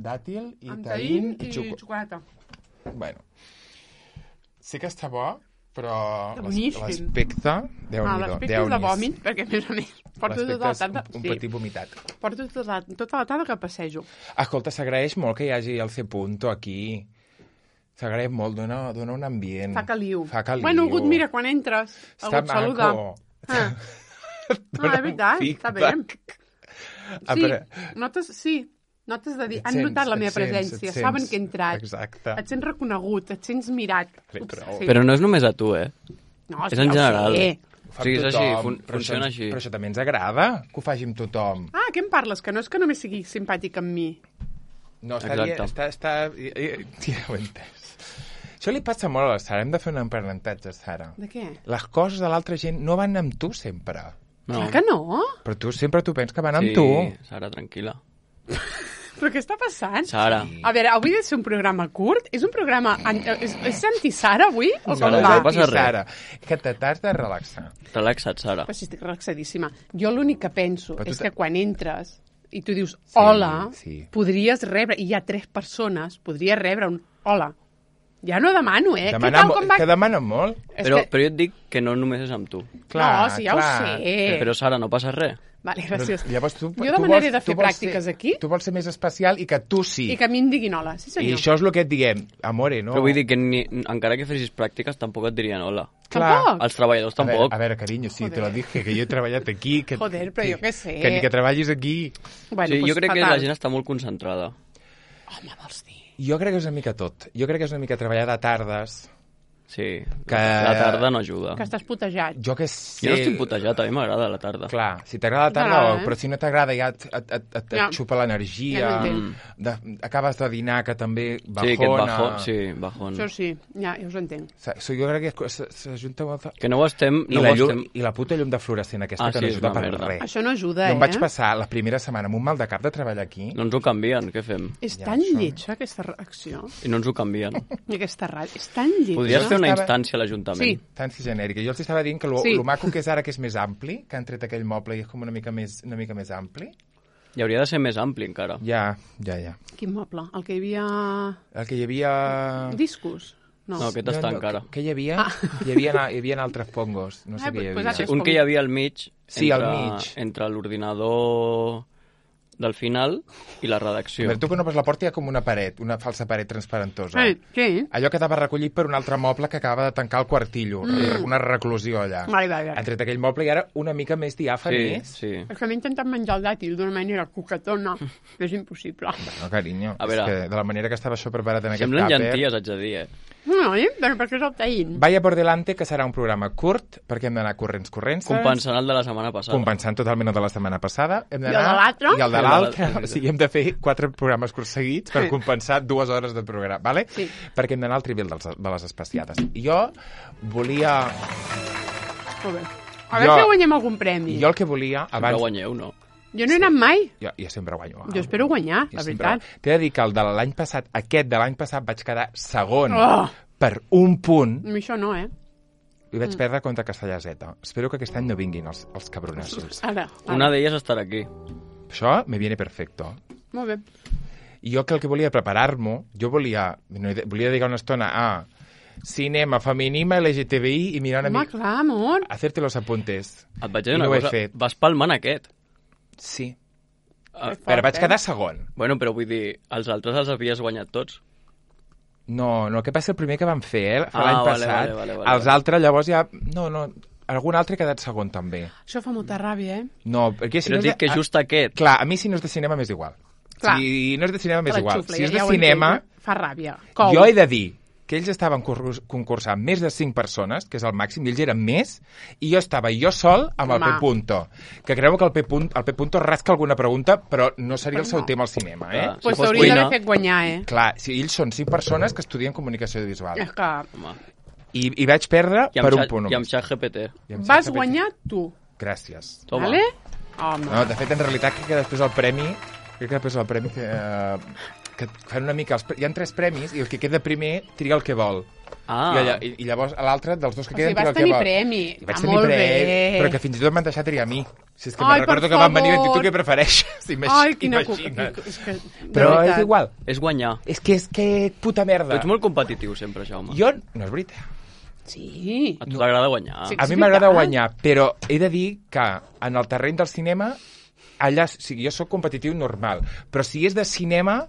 dàtil i amb taïn i xocolata. Bueno, sí que està bo, però Boníssim. l'aspecte, Déu-n'hi-do. L'aspecte és de vòmit, perquè a més a més porto tota la tarda... un petit vomitat. Porto tota la tarda que passejo. Escolta, s'agraeix molt que hi hagi el C-Punto aquí. S'agraeix molt, dona un ambient. Fa caliu. Bueno, algú et mira quan entres, algú et saluda. No, és veritat, està bé. Notes de dir, han notat la meva presència, saben que he entrat. Exacte. Et sents reconegut, et sents mirat. Però no és només a tu, No, és en general. O sigui, és així, funciona així. Però això també ens agrada, que ho faci amb tothom. Què em parles? Que no és que només sigui simpàtic amb mi. No, està... Ja ho he entès. Això li passa molt a la Sara. Hem de fer un aprenentatge, Sara. De què? Les coses de l'altra gent no van amb tu sempre. No. Clar que no. Però tu sempre penses que van amb tu. Sí, Sara, tranquil·la. Però què està passant? Sara. A veure, avui ha de ser un programa curt? És un programa... És anti-Sara, avui? O com Sara, va? no passa res. Sara, que t'has de relaxar. Relaxa't, Sara. Però si estic relaxadíssima. Jo l'únic que penso és que quan entres i tu dius hola, podries rebre, i hi ha 3 persones, podries rebre un hola. Ja no demano, Què tal, com va? Que demanen molt. Però jo et dic que no només és amb tu. No, sí, ja ho sé. Però, Sara, no passa res. Vale, gràcies. Llavors, jo demanaré de fer pràctiques aquí. Tu vols ser més especial i que tu sí. I que a mi em diguin hola, sí senyor. I això és el que et diguem, amore, no? Però vull dir que encara que fessis pràctiques tampoc et dirien hola. Tampoc? Els treballadors tampoc. A veure, carinyo, sí, te lo dije, que jo he treballat aquí. Joder, però jo què sé. Que ni que treballis aquí. Bueno, sí, jo crec que la gent està molt concentrada. Home, vols dir? Jo crec que és una mica tot. Jo crec que és una mica treballar de tardes. Sí, la tarda no ajuda. Que estàs putejat. Jo que sé... Jo no estic putejat, a mi m'agrada la tarda. Clar, si t'agrada la tarda, però si no t'agrada ja et xupa l'energia. Acabes de dinar, que també bajona. Sí, bajón. Això sí, ja us entenc. Jo crec que s'ajunta molt... Que no ho estem... I la puta llum de fluorescent aquesta, que no ajuda per res. Això no ajuda, Jo em vaig passar la primera setmana amb un mal de cap de treballar aquí. No ens ho canvien, què fem? És tan lletja, aquesta reacció. I no ens ho canvien. I aquesta ràdio. És tan lletja. Podries fer una instància a l'Ajuntament. Sí. Instància genèrica. Jo els estava dient que el maco que és ara, que és més ampli, que han tret aquell moble i és com una mica més ampli. I hauria de ser més ampli, encara. Ja. Quin moble? El que hi havia... El que hi havia... Discos? No, aquest està encara. Què hi havia? Hi havia altres pongos. No sé què hi havia. Un que hi havia al mig, entre l'ordinador del final i la redacció. Tu quan obres la porta hi ha com una paret, una falsa paret transparentosa. Què? Allò quedava recollit per un altre moble que acaba de tancar el quartillo, una reclusió allà. Vale. Han tret aquell moble i ara una mica més diàfan. Sí. És que m'he intentat menjar el dàtil d'una manera coquetona, que és impossible. No, carinyo, és que de la manera que estava això preparat en aquest tàper... Semblen llenties, haig de dir, No, però perquè és el taïn. Vaya por delante, que serà un programa curt, perquè hem d'anar corrents. Compensant el de la setmana passada. Compensant totalment el de la setmana passada. I el de l'altre. I el de l'altre. O sigui, hem de fer 4 programes curts seguits per compensar 2 hores de programa, vale? Sí. Perquè hem d'anar al trivial de les especiades. I jo volia... Molt bé. A veure si guanyem algun premi. Jo el que volia... Sempre guanyeu, no? Jo no he anat mai. Jo sempre guanyo. Jo espero guanyar, la veritat. T'he de dir que el de l'any passat, vaig quedar segon per un punt. A mi això no, I vaig perdre contra Castellaseta. Espero que aquest any no vinguin els cabronassos. Ara. Una d'elles estarà aquí. Això me viene perfecto. Molt bé. I jo que el que volia preparar-m'ho, volia dedicar una estona a cinema, feminisme, LGTBI i mirar una mica... Home, clar, amor. Hacerte los apuntes. Et vaig dir una cosa, vas palmant aquest. Sí. Però vaig quedar segon. Bueno, però vull dir, els altres els havies guanyat tots. No, que va ser el primer que vam fer, l'any passat. Vale. Els altres llavors ja... No, algun altre ha quedat segon també. Això fa molta ràbia, No, perquè si però no dic que just aquest. Clar, a mi si no és de cinema m'és igual. Clar. Si no és de cinema m'és igual. Si és de cinema... Fa ràbia. Jo he de dir que ells estaven concursant més de 5 persones, que és el màxim, i ells eren més, i jo estava sol amb el P. Punto, que creu que el P. Punto rasca alguna pregunta, però no seria el seu tema al cinema, Pues t'hauria d'haver fet guanyar, Clar, si ells són 5 persones que estudien comunicació audiovisual. És que... I vaig perdre per un punt. I amb ChatGPT. Vas guanyar tu. Gràcies. Toma. Vale? Home. No, de fet, en realitat, crec que després el premi que fan una mica... Hi ha 3 premis i el que queda primer triga el que vol. I llavors l'altre dels 2 que queden triga el que vol. Vas tenir premi. I vaig tenir premi, però que fins i tot m'han deixat triar a mi. Si és que me'n recordo que van venir i tu què prefereixes, Ai, quina Però és igual. És guanyar. És que puta merda. Tu ets molt competitiu sempre, Jaume. Jo, no és veritat. Sí. A tu t'agrada guanyar. Sí, a mi m'agrada guanyar, però he de dir que en el terreny del cinema, allà, o sigui, jo sóc competitiu normal, però si és de cinema...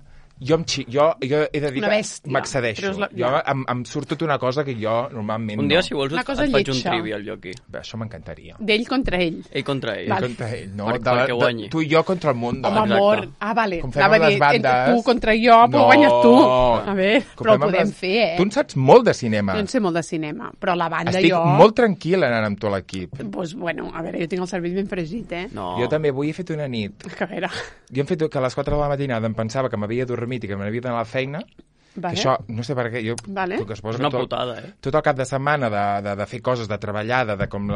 Jo he de dir que m'accedeixo. Jo em surt tota una cosa que jo normalment un dia, si vols, et faig un trivial jo aquí. Això m'encantaria. D'ell contra ell. Ell contra ell. Vale. Contra ell, no? Perquè guanyi. Tu i jo contra el món. Home, amor. Vale. Com fem les bandes... Tu contra jo, però guanyes tu. A veure, però ho podem fer, Tu en saps molt de cinema. Jo en sé molt de cinema, però la banda Estic molt tranquil anant amb tot l'equip. Doncs, bueno, a veure, jo tinc el cervell ben fregit, No. Jo també avui he fet una nit. A veure. Jo hem fet que a les 4 de la matinada em pensava que m'havia dormit i que m'havia d'anar a la feina, que això, no sé per què, jo... És una putada, Tot el cap de setmana de fer coses, de treballar, com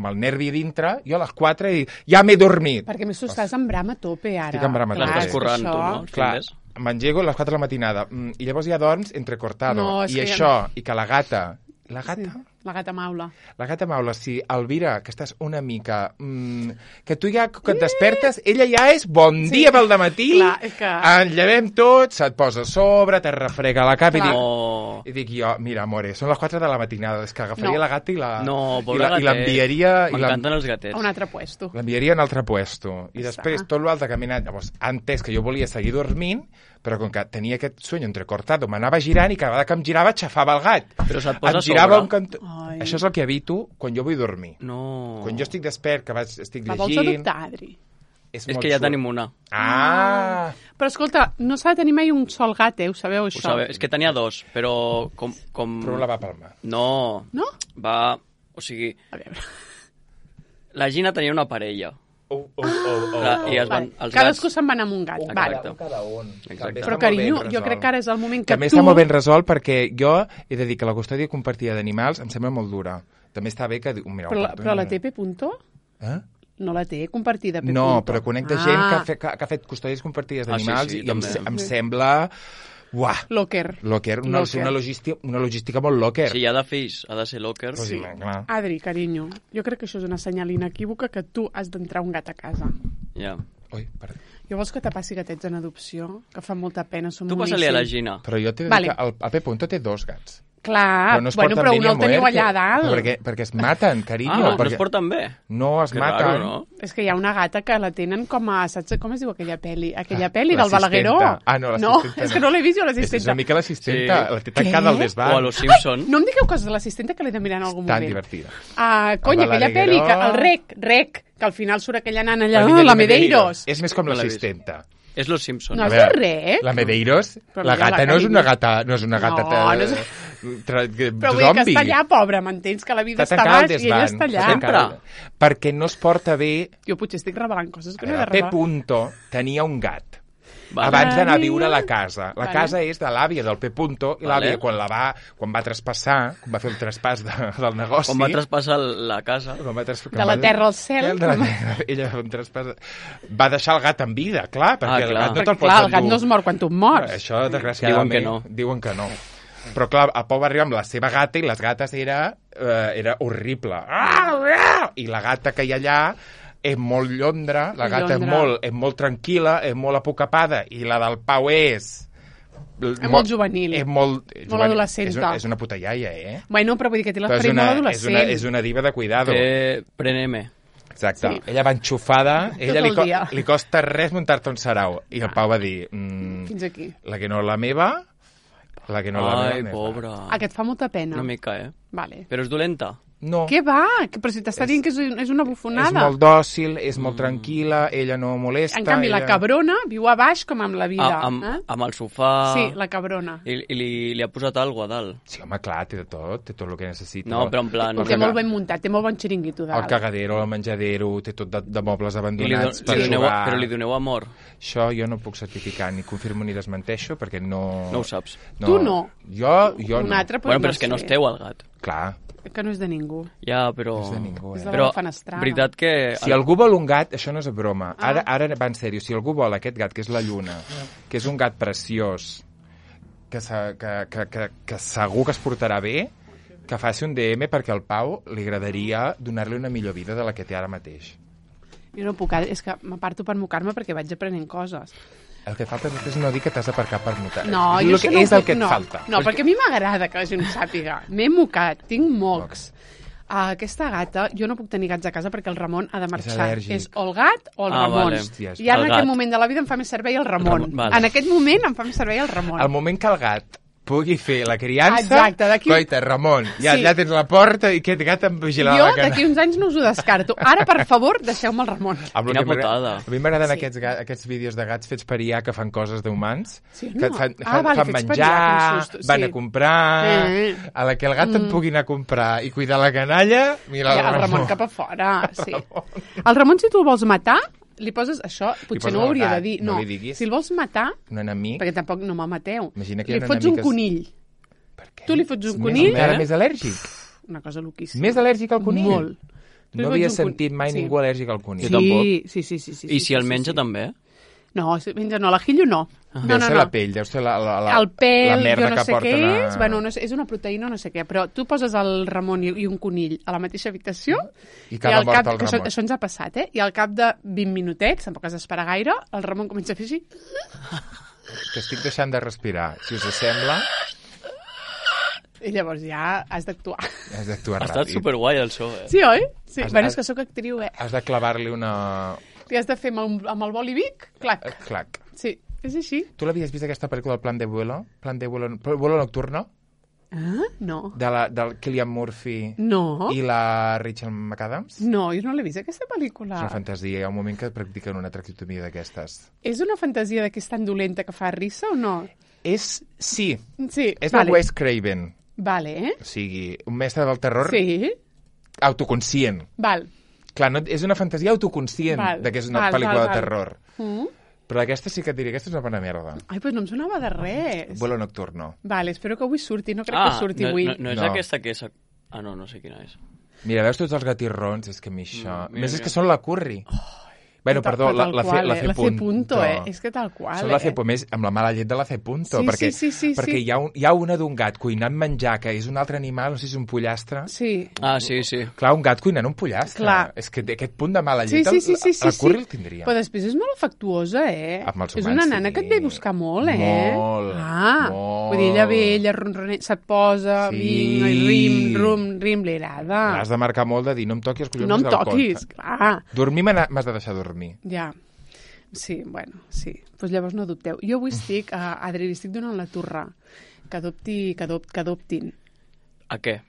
el nervi dintre, jo a les 4 ja m'he dormit. Perquè més tu estàs en bram a tope, ara. Estic en bram a tope. L'estàs corrent, tu, no? Clar, m'engego a les 4 de la matinada, i llavors ja dorms entrecortado. I això, i que la gata... La gata? Sí, la gata maula. La gata maula, sí. Elvira, que estàs una mica... que tu ja, que et despertes, ella ja és bon dia pel dematí, ens llevem tots, se't posa a sobre, te refrega la cap i dic jo, mira, amore, són les 4 de la matinada, és que agafaria la gata i l'enviaria... M'encanten els gatets. A un altre puesto. L'enviaria a un altre puesto. I després tot l'altre caminant. Llavors, ha entès que jo volia seguir dormint, però com que tenia aquest sueño entrecortado, m'anava girant i cada vegada que em girava xafava el gat. Però se't posa a sobre. Això és el que evito quan jo vull dormir. No. Quan jo estic despert, que estic llegint... La vols adoptar, Adri? És que ja tenim una. Però escolta, no s'ha de tenir mai un sol gat, ho sabeu, això? Ho sabeu. És que tenia 2, però com... Però la va palmar. No. No? Va... O sigui... A veure... La Gina tenia una parella. I cadascú se'n va anar amb un gat. Però, carinyo, jo crec que ara és el moment que també està molt ben resolt perquè jo he de dir que la custòdia compartida d'animals em sembla molt dura. També està bé que... Però la té P. No la té compartida P. No, però conec de gent que ha fet custòdies compartides d'animals i em sembla... Uah. Locker. Una logística molt locker. Si hi ha de fills, ha de ser locker. Sí. Adri, carinyo, jo crec que això és una senyal inequívoca que tu has d'entrar un gat a casa. Ja. Ui, perdó. Jo vols que te passi gatets en adopció? Que fa molta pena, som tu passa-li a la Gina. Però jo t'he de dir que el P. té 2 gats. Clar, però un el teniu allà a dalt. Perquè es maten, carinyo. No es porten bé. No, es maten. Raro, no? És que hi ha una gata que la tenen com a... Saps com es diu aquella pel·li? Aquella pel·li del Balagueró. No, l'assistenta. És que no l'he vist jo, l'assistenta. És una mica l'assistenta. La té tancada al desván. O a Los Simpson. No em digueu coses de l'assistenta que l'he de mirar en algun moment. Tan divertida. Cony, aquella pel·li, el Rec, que al final surt aquella nana allà, la Medeiros. És més com l'assistenta. És Los Simpson. No és de Rec? La Medeiros? La gata no és una gata... No és una gata... Però vull dir que està allà, pobra, m'entens? Que la vida està baix i ella està allà. Sempre. Perquè no es porta bé... Jo potser estic revelant coses que no he de revelar. P. tenia un gat. Abans d'anar a viure a la casa. La casa és de l'àvia del P. I l'àvia, quan va traspassar, quan va fer el traspàs del negoci... Quan va traspassar la casa... De la terra al cel. Ella va fer un traspàs... Va deixar el gat en vida, clar, perquè el gat no te'l pots endur. El gat no es mor quan tu mors. Això, desgraciadament, diuen que no. Però clar, el Pau va arribar amb la seva gata i les gates era horrible. I la gata que hi ha allà és molt llondra, la gata és molt tranquil·la, és molt apocapada, i la del Pau és molt juvenil. És molt adolescenta. És una puta iaia, Bueno, però vull dir que té l'esperit molt adolescent. És una diva de cuidado. Preneme. Exacte. Sí. Ella va enxufada, ella li costa res muntar-te un sarau. I el Pau va dir... Fins aquí. La que no la meva... La que no la meva. Ai, pobra. Aquest fa molta pena. Una mica, Vale. Però és dolenta? No. Què va? Però si t'està dient que és una bufonada. És molt dòcil, és molt tranquil·la, ella no molesta. En canvi, la cabrona viu a baix com amb la vida. Amb el sofà... Sí, la cabrona. I li ha posat alguna cosa a dalt. Sí, home, clar, té tot el que necessita. No, però en plan... Té molt ben muntat, té molt bon xiringuito dalt. El cagadero, el menjadero, té tot de mobles abandonats per jugar. Però li doneu amor. Això jo no puc certificar, ni confirmo ni desmenteixo, perquè no... No ho saps. Tu no. Jo no. Un altre, però és que no esteu al gat. Clar. Que no és de ningú. Ja, però... És de ningú, És de la fenestrada. Veritat que... Si algú vol un gat, això no és broma. Ara va en sèrio. Si algú vol aquest gat, que és la Lluna, que és un gat preciós, que segur que es portarà bé, que faci un DM perquè al Pau li agradaria donar-li una millor vida de la que té ara mateix. Jo no puc, és que m'aparto per mocar-me perquè vaig aprenent coses. El que falta és no dir que t'has d'aparcar per mocar. No, jo això no és el que et falta. No, perquè a mi m'agrada que la gent ho sàpiga. M'he mocat, tinc mocs. Aquesta gata, jo no puc tenir gats a casa perquè el Ramon ha de marxar. És o el gat o el Ramon. Vale. I ara en aquest moment de la vida em fa més servei el Ramon. Vale. En aquest moment em fa més servei el Ramon. El moment que el gat pugui fer la criança, exacte, coita, Ramon, ja tens la porta i aquest gat em vigilarà la Jo d'aquí uns anys no us ho descarto. Ara, per favor, deixeu-me el Ramon. Quina putada. A mi m'agraden aquests vídeos de gats fets per IA que fan coses d'humans, que fan menjar, van a comprar, a la que el gat et pugui anar a comprar i cuidar la canalla, mira el Ramon cap a fora, sí. El Ramon, si tu el vols matar, li poses això, potser no ho hauria de dir. No li diguis. Si el vols matar, un enemic, perquè tampoc no me mateu, li fots un conill. Tu li fots un conill... Encara més al·lèrgic. Una cosa loquíssima. Més al·lèrgic al conill? Molt. No havia sentit mai ningú al·lèrgic al conill. Jo tampoc. Sí. I si el menja també? No, si menja no, l'ajillo no. Deu ser la pell, deu ser el pell, la merda jo no sé què és, bueno, no sé, és una proteïna no sé què, però tu poses el Ramon i un conill a la mateixa habitació i cada mort el Ramon. Això ens ha passat, i al cap de 20 minutets, tampoc has d'esperar gaire, el Ramon comença a fer així. Que estic deixant de respirar, si us sembla. I llavors ja has d'actuar. Has d'actuar ràpid. Ha estat superguai el show, Sí, oi? Sí. Bueno, és que sóc actriu, Has de clavar-li una... Li has de fer amb el boli Vic, clac. Clac. Sí, és així. Tu l'havies vist aquesta pel·lícula, El plan de vuelo? Vuelo nocturno? Ah, no. Del Cillian Murphy i la Rachel McAdams? No, jo no l'he vist, aquesta pel·lícula. És una fantasia, hi ha un moment que practiquen una traqueotomia d'aquestes. És una fantasia que és tan dolenta que fa risa o no? Sí. És vale. de Wes Craven. Vale. O sigui, un mestre del terror autoconscient. Val. Clar, és una fantasia autoconscient de que és una pel·lícula de terror. Però aquesta sí que et diria, aquesta és una bona merda. Ai, doncs no em sonava de res. Vuelo nocturno. Vale, espero que avui surti, no crec que surti avui. No és aquesta que és... Ah, no sé quina és. Mira, veus tots els gatirrons? És que a mi això... Més és que són la Curry. Bueno, perdó, la C punto. És que tal qual, Són la C punto, més amb la mala llet de la C punto, perquè hi ha una d'un gat cuinant menjar que és un altre animal, no sé si és un pollastre. Sí. Ah, sí. Clar, un gat cuinant un pollastre. Clar. És que aquest punt de mala llet, la Curry el tindria. Però després és molt afectuosa, És una nana que et ve a buscar molt, Molt. Vull dir, ella ve, ella ronronet, se't posa, rim, li agrada. Has de marcar molt de dir, no em toquis els collons del cot. No em toquis, clar. Dormir m'has de deixar dormir. Ja, sí, bueno, sí. Doncs llavors no dubteu. Jo avui estic, Adri, li estic donant la turra que adoptin. A què?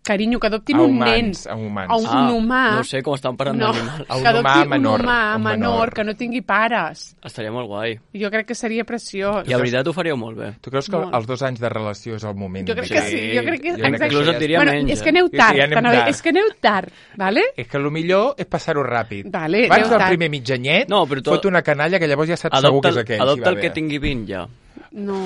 Carinyo, que adoptin un nen. A humans. A un humà. No sé com estan parant d'animals. A un humà menor. Un humà menor, que no tingui pares. Estaria molt guai. Jo crec que seria preciós. I la veritat ho faríeu molt bé. Tu creus que els 2 anys de relació és el moment? Jo crec que sí. Jo crec que inclús et diria menys. És que aneu tard. És que aneu tard, vale? És que el millor és passar-ho ràpid. Vale, abans del primer mitjanyet, fot una canalla que llavors ja saps segur que és aquell. Adopta el que tingui 20 ja. No...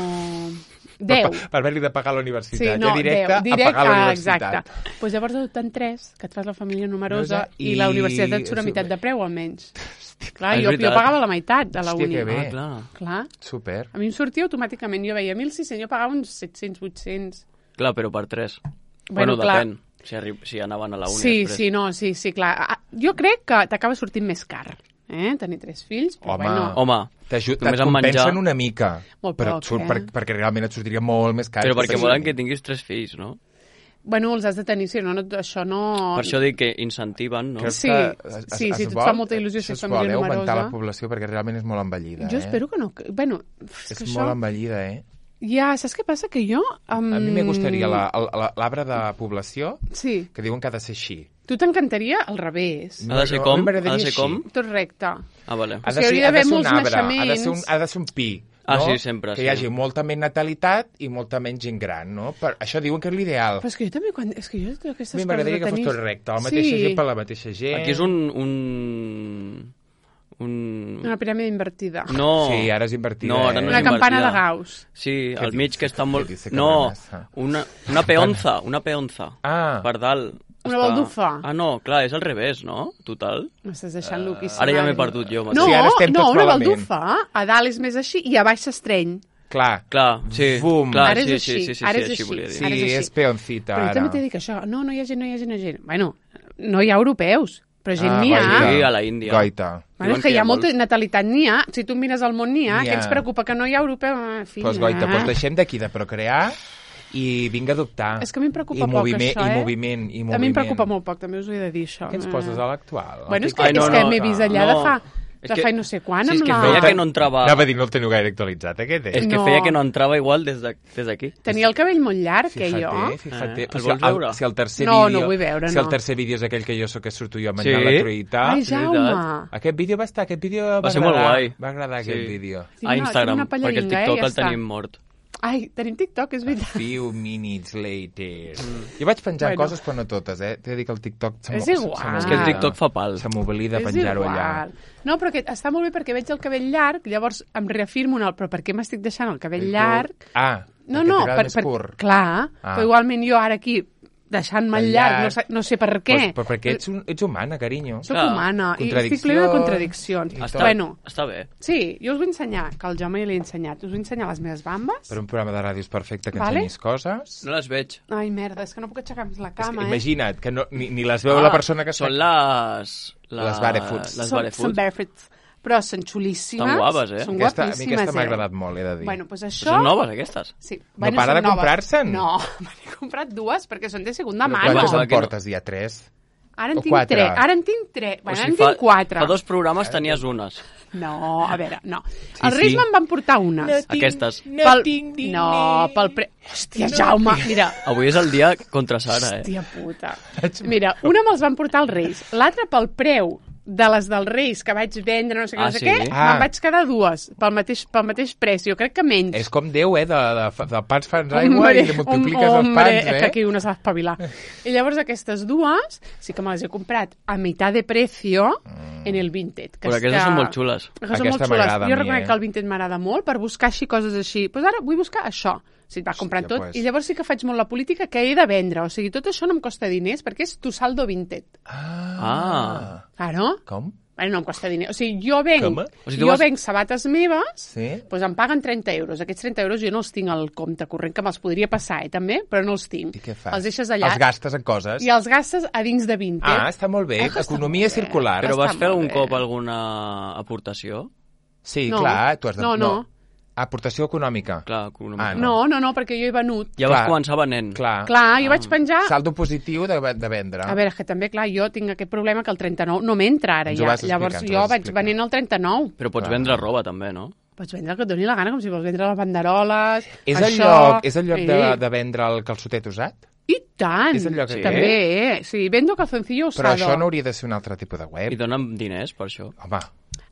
10. Per haver-li de pagar a la universitat. Sí, no, directe a pagar a la universitat. Exacte. Doncs llavors adopten 3, que et fas la família numerosa i la universitat et surt a meitat de preu, almenys. Clar, jo pagava la meitat de la uni. Hòstia, que bé. Clar. Super. A mi em sortia automàticament. Jo veia 1.600, jo pagava uns 700, 800. Clar, però per 3. Bueno, depèn. Si anaven a la uni després. Sí, clar. Jo crec que t'acaba sortint més car. Tenir 3 fills, però Home, et compensen una mica, però perquè realment et sortiria molt més car. Però perquè volen que tinguis 3 fills, no? Bueno, els has de tenir, si no, això no... Per això dic que incentiven, no? Sí, si et fa molta il·lusió ser família numerosa. Augmentar la població perquè realment és molt envellida. Jo espero que no... Bueno, és molt envellida, Ja, saps què passa? Que jo... A mi m'agradaria l'arbre de població, que diuen que ha de ser així. Tu t'encantaria al revés. Ha de ser com? Ha de ser com? Tot recte. Ah, vale. Ha de ser un arbre, ha de ser un pi. Ah, sí, sempre. Que hi hagi molta més natalitat i molta menys gent gran, no? Això diuen que és l'ideal. Però és que jo també, és que jo aquestes coses... A mi m'agradaria que fos tot recte, la mateixa gent per la mateixa gent. Aquí és una piràmide invertida. No. Sí, ara és invertida. No, ara no una campana de Gauss. Sí, al mig que està molt... No, una peonza, per dalt. Una baldufa. Ah, no, clar, és al revés, no? Total. M'estàs deixant loquíssim. Ara ja m'he perdut jo. No, una baldufa. A dalt és més així i a baix s'estreny. Clar, sí. Bum. Ara és així. Així volia dir. Sí, és peoncita, ara. Però jo també t'he dit que això, no hi ha gent. Bueno, no hi ha europeus. Però gent n'hi ha. Sí, a la Índia. Goita. Bueno, és que hi ha molta natalitat, n'hi ha. Si tu mires el món, n'hi ha. Què ens preocupa? Que no hi ha europeu? Doncs goita, doncs deixem d'aquí de procrear i vinga a adoptar. És que a mi em preocupa poc, això, I moviment. A mi em preocupa molt poc, també us ho he de dir, això. Què ens poses a l'actual? Bueno, és que m'he vist allà de fa no sé quan. Sí, és que feia que no entrava... Anava a dir, no el teniu gaire actualitzat, aquest. És que feia que no entrava igual des d'aquí. Tenia el cabell molt llarg, jo. Fíjate. El vols veure? Si el tercer vídeo... No, no vull veure, Si el tercer vídeo és aquell que jo sóc que surto jo menjant la truita... Ai, Jaume! Aquest vídeo va estar, va ser molt guai. Va agradar aquest vídeo. A Instagram, perquè el TikTok el tenim mort. Ai, tenim TikTok, és veritat. A few minutes later. Jo vaig penjant coses, però no totes, eh? T'he de dir que el TikTok... És igual. És que el TikTok fa pal. Se m'oblida penjar-ho allà. No, però està molt bé perquè veig el cabell llarg, llavors em reafirmo però per què m'estic deixant el cabell llarg? No, més curt. Clar, però igualment jo ara aquí deixant-me el llarg, no sé per què. Però perquè ets humana, carinyo. Soc humana i estic plena de contradiccions. Està bé. Sí, jo us vull ensenyar, que al Jaume l'he ensenyat, us vull ensenyar les meves bambes. Per un programa de ràdio és perfecte que ensenyis coses. No les veig. Ai, merda, és que no puc aixecar més la cama, Imagina't, que ni les veu la persona que... Són les barefoots. Són barefoots. Però són xulíssimes. Estan guapes, eh? Són guapíssimes, a mi aquesta m'ha agradat molt, he de dir. Bueno, doncs això... Són noves, aquestes? Sí. No para de comprar-se'n? No, m'he comprat dues perquè són de segunda mà. Quantes en portes? Ja 3? Ara en tinc 3. Ara en tinc 3. Bueno, ara en tinc 4. Fa 2 programes tenies unes. No, a veure, no. Els Reis me'n van portar unes. Aquestes. No, pel Hòstia, Jaume, mira. Avui és el dia contra Sara, eh? Hòstia puta. Mira, una me'ls van portar els Reis, l'altra pel preu de les dels Reis que vaig vendre, no sé què, me'n vaig quedar dues pel mateix preu. Jo crec que menys. És com Déu, de pans fans aigua i li multipliques els pans, que aquí una s'ha d'espavilar. I llavors aquestes dues sí que me les he comprat a meitat de precio en el Vinted. Però aquestes són molt xules. Aquesta m'agrada a mi, Jo reconec que el Vinted m'agrada molt per buscar així coses així. Doncs ara vull buscar això. Si et vas comprant tot. I llavors sí que faig molt la política que he de vendre. O sigui, tot això no em costa diners perquè és tu saldo Vinted. Claro. Com? Bueno, no em costa diners. O sigui, jo venc sabates meves, doncs em paguen 30 euros. Aquests 30 euros jo no els tinc al compte corrent, que me'ls podria passar, també, però no els tinc. I què fas? Els deixes allà. Els gastes en coses? I els gastes a dins de Vinted. Està molt bé. Economia circular. Però vas fer algun cop alguna aportació? Sí, clar. Tu has de... No. Aportació econòmica. Clar, econòmica. No, perquè jo he venut. Ja vas començar venent. Clar, jo vaig penjar... Saldo positiu de vendre. A veure, que també, clar, jo tinc aquest problema que el 39 no m'entra ara ja. Llavors jo vaig venent el 39. Però pots vendre roba també, no? Pots vendre el que et doni la gana, com si vols vendre les banderoles, És el lloc de vendre el calçotet usat? I tant! És el lloc també, sí, vendo calzoncillo usado. Però això no hauria de ser un altre tipus de web. I donen diners per això. Home...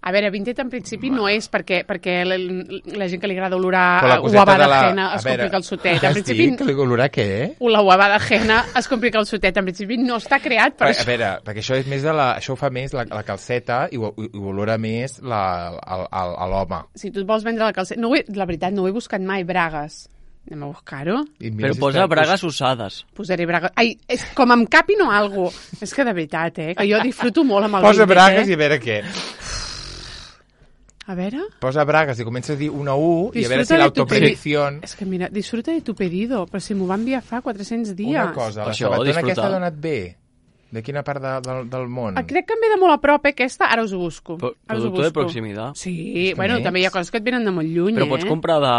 A veure, Vinted en principi no és perquè la gent que li agrada olorar uavada ajena es compri calçotet. En principi... Que olorar què? La uavada ajena es compri calçotet. En principi no està creat per això. A veure, perquè això és més això ho fa més la calceta i ho olora més l'home. Si tu et vols vendre la calceta... La veritat, no ho he buscat mai, bragues. Anem a buscar-ho. Però posa bragues usades. Posaré bragues... Ai, és com em capin o algo. És que de veritat, que jo disfruto molt amb el Vinted. Posa bragues i a veure què. A veure... Posa bragues i comença a dir una U i a veure si l'autopredicció... És que mira, disfruta de tu pedido, però si m'ho va enviar fa 400 dies. Una cosa, la sabatona aquesta ha donat bé. De quina part del món? Crec que em ve de molt a prop, aquesta, ara us ho busco. Producte de proximitat. Sí, bueno, també hi ha coses que et venen de molt lluny, Però pots comprar de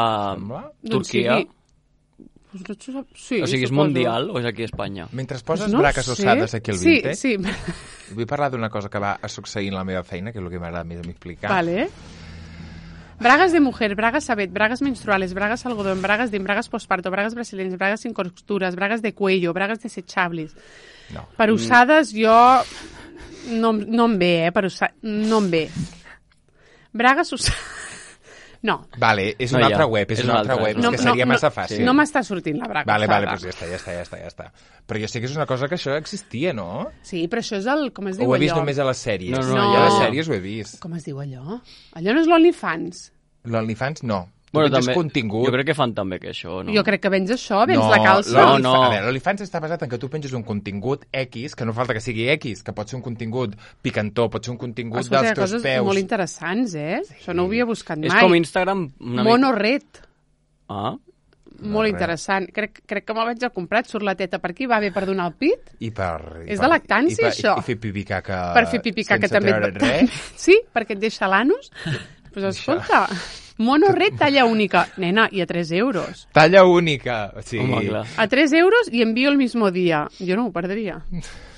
Turquia? Sí, o sigui, és mundial o és aquí a Espanya? Mentre poses bragues usades aquí al Vinted, sí. Vull parlar d'una cosa que va succeir en la meva feina, que és el que m'agrada més a mi explicar. Vale. Bragas de mujer, bragas sabet, bragas menstruales, bragas algodón, bragas de bragas posparto, bragas brasileñas, bragas sin costuras, bragas de cuello, bragas desechables. No. Per usades jo... No em ve, no em ve. Bragas usades... No. Vale, és una altra web, és una altra web, és que seria massa fàcil. No m'està sortint la braga. Vale, doncs ja està. Però jo sé que és una cosa que això existia, no? Sí, però això és el... Com es diu allò? O ho he vist només a les sèries? No. Ja a les sèries ho he vist. Com es diu allò? Allò no és l'OnlyFans? L'OnlyFans no. Bueno, també, contingut. Jo crec que fan també que això, no? Jo crec que vens això, vens la calça. No. A veure, l'OnlyFans està basat en que tu penges un contingut X, que no falta que sigui X, que pot ser un contingut picantó, pot ser un contingut dels teus peus. Coses molt interessants, Sí. Això no ho havia buscat mai. És com Instagram... Monoret. molt interessant. Crec que me'l vaig a comprar, et surt la teta per aquí, va bé per donar el pit. És de lactància, això. I fer pipí caca per fer pipí caca també. Sí, perquè et deixa l'anus. Doncs escolta, monoret talla única. Nena, i a 3 euros. Talla única. Sí. A 3 euros i envio el mismo dia. Jo no ho perdria.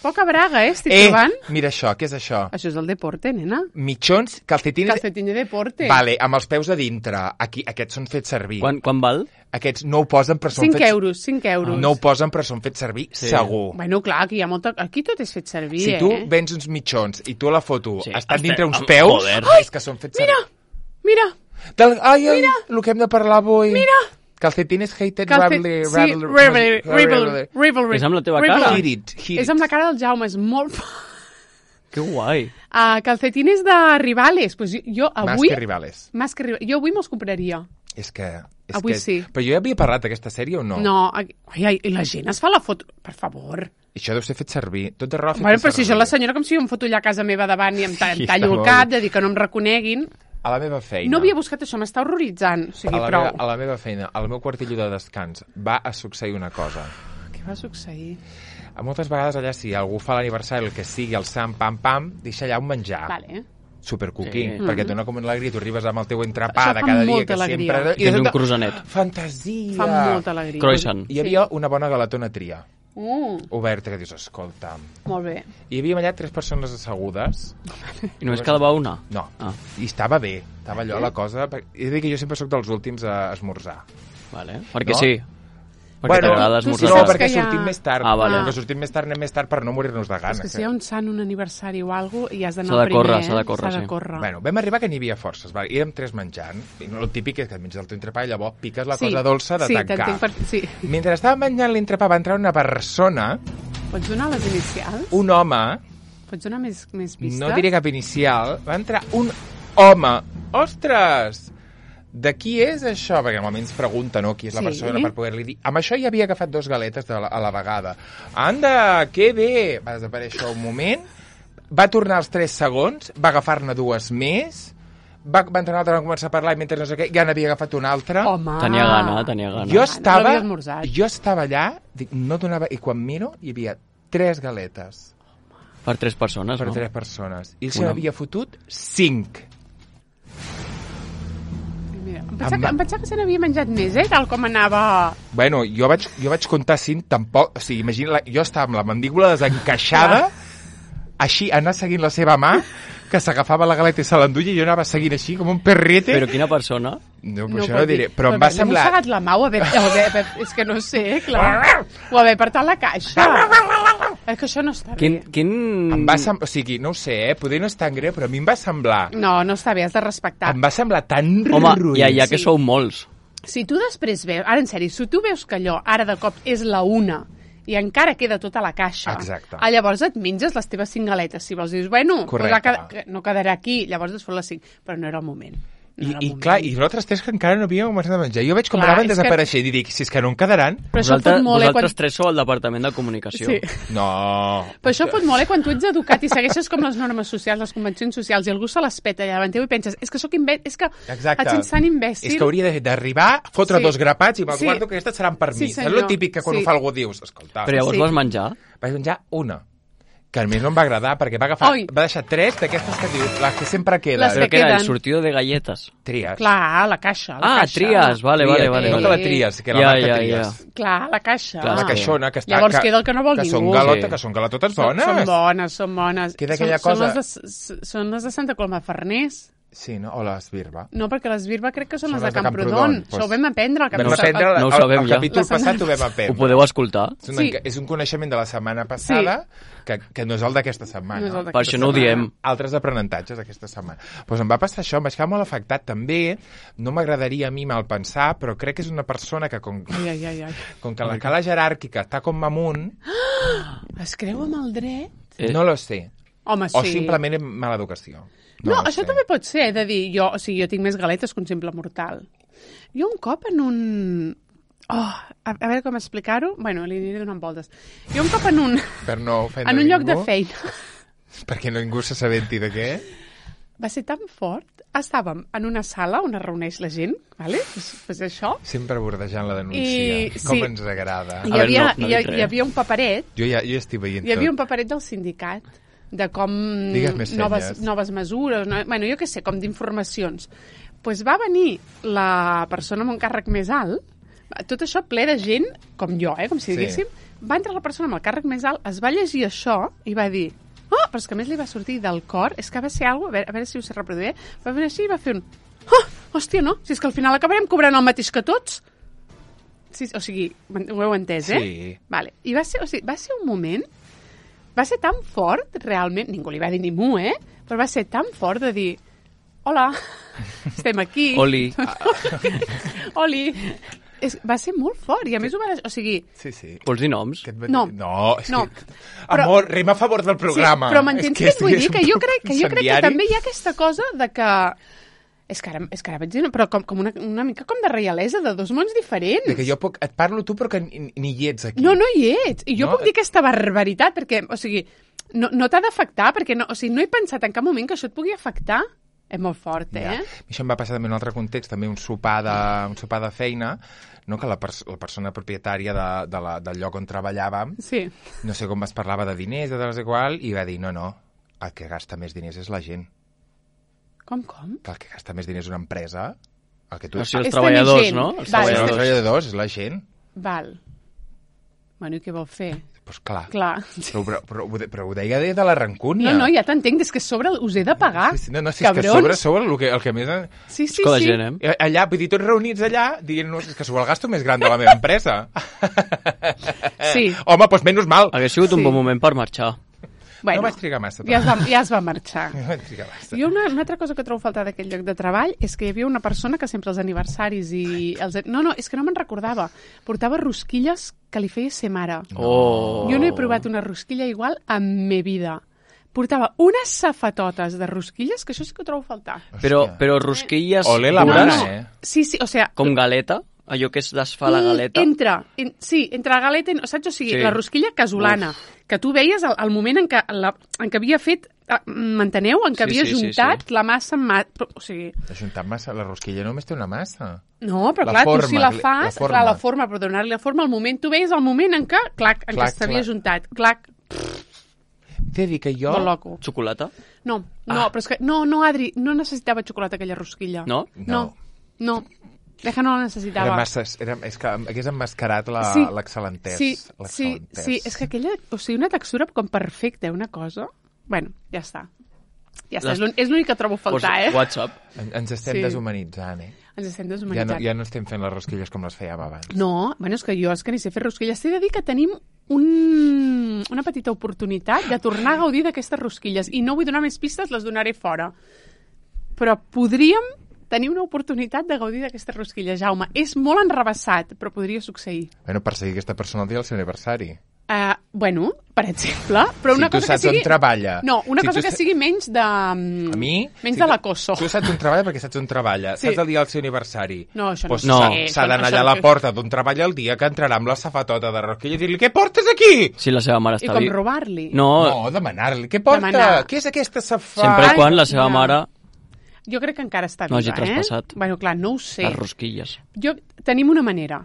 Poca braga, estic trobant. Mira això, què és això? Això és el deporte, nena. Mitjons, calcetines... Calcetín de deporte. Vale, amb els peus a dintre. Aquests són fets servir. Quan val? Aquests no ho posen, però són 5 euros, 5 euros. No ho posen, però són fets servir, segur. Bueno, clar, aquí hi ha molta... Aquí tot és fet servir, Si tu vens uns mitjons i tu a la foto estan dintre uns peus, és que són fets servir. Mira! Ai, el que hem de parlar avui. Mira! Calcetines hated rivalry. És amb la teva cara? És amb la cara del Jaume, és molt... Que guai. Calcetines de rivales. Pues jo avui... Más que rivales. Jo avui me'ls compraria. És que... Avui sí. Però jo ja havia parlat d'aquesta sèrie o no? No. Ai, i la gent es fa la foto... Per favor. Això deu ser fet servir. Tot de roba fet servir. Però si jo la senyora com si jo em foto allà a casa meva davant i em tallo el cap de dir que no em reconeguin... A la meva feina... No havia buscat això, m'està horroritzant. O sigui, prou. A la meva feina, al meu quartillo de descans, va a succeir una cosa. Què va succeir? Moltes vegades allà, si algú fa l'aniversari, el que sigui, el sant, pam, deixa allà un menjar. Vale. Supercookie, perquè et dona com una alegria. Tu arribes amb el teu entrepà de cada dia, que sempre... I tens un croissanet. Fantasia! Fa molta alegria. Croissant. Hi havia una bona galetona tria. Oberta, que dius, escolta... Molt bé. Hi havia allà 3 persones assegudes. I només quedava una? No. I estava bé. Estava allò la cosa... He de dir que jo sempre sóc dels últims a esmorzar. Vale. Perquè sí. Perquè t'agrada esmorzar. No, perquè sortim més tard. Perquè sortim més tard, anem més tard per no morir-nos de gana. És que si hi ha un sant, un aniversari o alguna cosa, i has d'anar primer. S'ha de córrer. Bueno, vam arribar que n'hi havia forces. Érem 3 menjant. I el típic és que et menges el teu entrepà i llavors piques la cosa dolça de tancar. Mentre estava menjant l'entrepà va entrar una persona... Pots donar les inicials? Un home... Pots donar més vista? No diré cap inicial. Va entrar un home. Ostres! De qui és això? Perquè normalment ens pregunta, no?, qui és la persona per poder-li dir. Amb això ja havia agafat 2 galetes a la vegada. Anda, que bé! Va desaparèixer un moment, va tornar als 3 segons, va agafar-ne 2 més, va entrar un altre, va començar a parlar i mentre no sé què, ja n'havia agafat un altre. Home! Tenia gana. Jo estava allà, dic, no donava... I quan miro, hi havia 3 galetes. Per 3 persones, no? Per 3 persones. I ell se n'havia fotut 5. Em pensava que se n'havia menjat més, tal com anava... Bueno, jo vaig comptar 5, tampoc... O sigui, imagina, jo estava amb la mandíbula desencaixada, així, anar seguint la seva mà, que s'agafava la galeta i se l'enduia i jo anava seguint així, com un perrete. Però quina persona? No, això no diré, però em va semblar... M'he mossegat la mà o haver... És que no sé, clar. O haver apartat la caixa. És que això no està bé. Em va semblar... O sigui, no ho sé, poder no és tan greu, però a mi em va semblar... No està bé, has de respectar. Em va semblar tan ruïn. Home, ja que sou molts. Si tu després veus... Ara, en sèrio, si tu veus que allò, ara de cop, és la una i encara queda tota la caixa. Exacte. Llavors et menges les teves 5 galetes. Si vols, dius, bueno, no quedarà aquí, llavors es fot les 5. Però no era el moment. I clar, i nosaltres 3 que encara no havíem començat a menjar. Jo veig com anaven desapareixent i dic, si és que no en quedaran... Vosaltres 3 sou al departament de comunicació. Sí. No. Però això fot molt, quan tu ets educat i segueixes com les normes socials, les convencions socials, i algú se les peta allà davant teu i penses, és que sóc imbècil, és que et sents tan imbècil... És que hauria d'arribar, fotre 2 grapats i me'ls guardo que aquestes seran per mi. És el típic que quan ho fa algú dius, escolta... Però llavors vas menjar? Vaig menjar una. Que a mi no em va agradar, perquè va deixar 3 d'aquestes que dius, les que sempre queden. Però que era el sortido de galletes. Tries. Clar, la caixa. Tries, vale. No que la tries, que la marca tries. Clar, la caixa. La caixona, que està... Llavors queda el que no vol ningú. Que són galetotes bones. Són bones. Queda aquella cosa... Són les de Santa Coloma de Farners. Sí, no? O l'Esbirba. No, perquè l'Esbirba crec que són les de Camprodon. Això ho vam aprendre. El capítol passat ho vam aprendre. Ho podeu escoltar? És un coneixement de la setmana passada que no és el d'aquesta setmana. Per això no ho diem. Altres aprenentatges d'aquesta setmana. Doncs em va passar això, em vaig quedar molt afectat també. No m'agradaria a mi mal pensar, però crec que és una persona que com que la cala jeràrquica està com amunt... Es creu amb el dret? No lo sé. Home, sí. O simplement mala educació. No, això també pot ser, de dir, jo tinc més galetes que un simple mortal. Jo un cop en un... a veure com explicar-ho. Bueno, li aniré donant voltes. Jo un cop en un... Per no ofendre en un lloc de feina. Perquè ningú s'assabenti de què? va ser tan fort. Estàvem en una sala on es reuneix la gent, ¿vale? Pues això. Sempre bordejant la denúncia. Com ens agrada. Hi havia un paperet. Jo ja estic veient tot. Hi havia un paperet del sindicat de com noves mesures, bueno, jo què sé, com d'informacions. Pues va venir la persona amb un càrrec més alt, tot això ple de gent, com jo, com si diguéssim, va entrar la persona amb el càrrec més alt, es va llegir això i va dir... però és que a més li va sortir del cor, és que va ser alguna cosa, a veure si ho sé reproduir, va venir així i va fer un... hòstia, no, si és que al final acabarem cobrant el mateix que tots. Sí, o sigui, ho heu entès, eh? Sí. Vale. I va ser un moment, va ser tan fort, realment, ningú li va dir ni mu, però va ser tan fort de dir, hola, estem aquí. Oli. Oli. Va ser molt fort, i a més ho va... O sigui... Sí. Vols dir noms? No. Amor, rima a favor del programa. Sí, però m'entens què et vull dir? Que jo crec que també hi ha aquesta cosa de que... És que ara vaig dir... Però com una mica com de reialesa, de dos mons diferents. De que jo et parlo tu, però que ni hi ets aquí. No hi ets. I jo puc dir aquesta barbaritat, perquè, o sigui, no t'ha d'afectar, perquè no he pensat en cap moment que això et pugui afectar. És molt fort, Ja. Això em va passar també en un altre context, també un sopar de feina, no? Que la persona propietària del lloc on treballàvem, no sé com es parlava de diners, de no sé qual, i va dir, no, el que gasta més diners és la gent. Com? Que el que gasta més diners és una empresa, el que tu... O sigui, els treballadors, no? Els treballadors, és la gent. Val. Bueno, i què vol fer? Doncs clar. Però ho deia de la rancúnia. No, ja t'entenc, és que sobre us he de pagar. Sí, és que sobre el que més... Sí. La gent, allà, vull dir, tots reunits allà, dient-nos que sou el gasto més gran de la meva empresa. Sí. Home, doncs menys mal. Hauria sigut un bon moment per marxar. Bueno, no vaig trigar massa. Ja es va marxar. No vaig trigar massa. Jo una altra cosa que trobo faltar d'aquell lloc de treball és que hi havia una persona que sempre els aniversaris i... No, és que no me'n recordava. Portava rosquilles que li feia ser mare. Oh. Jo no he provat una rosquilla igual en me vida. Portava unes safatotes de rosquilles que això sí que ho trobo faltar. Però rosquilles... Ole la mare, Sí, o sigui... Com galeta? Allò que es desfà la galeta? Entre la galeta, saps? O sigui, la rosquilla casolana, que tu veies al moment en què havia fet, m'enteneu? En què havia juntat la massa amb massa. O sigui... Ajuntar massa, la rosquilla només té una massa. No, però clar, tu si la fas, la forma, però donar-li la forma, al moment, tu veies el moment en què, en què s'havia juntat. T'he de dir que jo... Molt loco. Xocolata? No, però és que... No, Adri, no necessitava xocolata aquella rosquilla. No? No. Que no la necessitava. És que hagués emmascarat l'excel·lentès. Sí, és que aquella... O sigui, una textura com perfecta, una cosa... Bueno, ja està. És l'únic que trobo a faltar, WhatsApp. Ens estem deshumanitzant, Ens estem deshumanitzant. Ja no estem fent les rosquilles com les fèiem abans. No, bueno, és que jo ni sé fer rosquilles. T'he de dir que tenim una petita oportunitat de tornar a gaudir d'aquestes rosquilles. I no vull donar més pistes, les donaré fora. Però podríem tenir una oportunitat de gaudir d'aquestes rosquilles, Jaume. És molt enrevessat, però podria succeir. Bueno, perseguir aquesta persona el dia del seu aniversari. Bueno, per exemple, però una cosa que sigui... Si tu saps on treballa... No, una cosa que sigui menys de... A mi... Menys de l'acoso. Tu saps on treballa perquè saps on treballa. Saps el dia del seu aniversari. No, això no. S'ha d'anar allà a la porta d'on treballa el dia que entrarà amb la safatota de rosquilla i dir-li, què portes aquí? Si la seva mare està I com robar-li. No, demanar-li, què porta? Què és aquesta safata? Sempre i quan la seva mare... Jo crec que encara està viva, No hagi traspassat. Bueno, clar, no ho sé. Les rosquilles. Tenim una manera.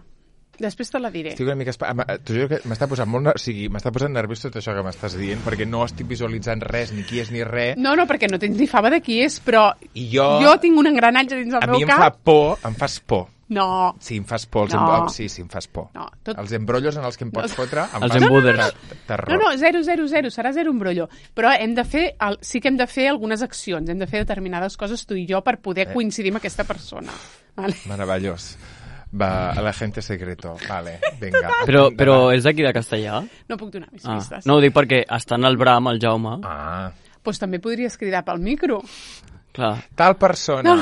Després te la diré. Estic una mica... T'ho juro que m'està posant molt... O sigui, m'està posant nerviós tot això que m'estàs dient, perquè no estic visualitzant res, ni qui és ni res. No, perquè no tens ni fava de qui és, però I jo tinc un engranatge dins del meu cap. Em fas por. No. Sí, em fas por. Sí, em fas por. No, Els embrollos en els que em pots fotre... Els embuders. No, 0, serà 0 embrollo. Però sí que hem de fer algunes accions, hem de fer determinades coses tu i jo per poder coincidir amb aquesta persona. Vale. Meravellós. Va, a la gente secreto. Vale, vinga. Però és d'aquí de Castellà? No puc donar més pistes. No, ho dic perquè està en el Bram, el Jaume. Doncs també podries cridar pel micro. Clar. Tal persona.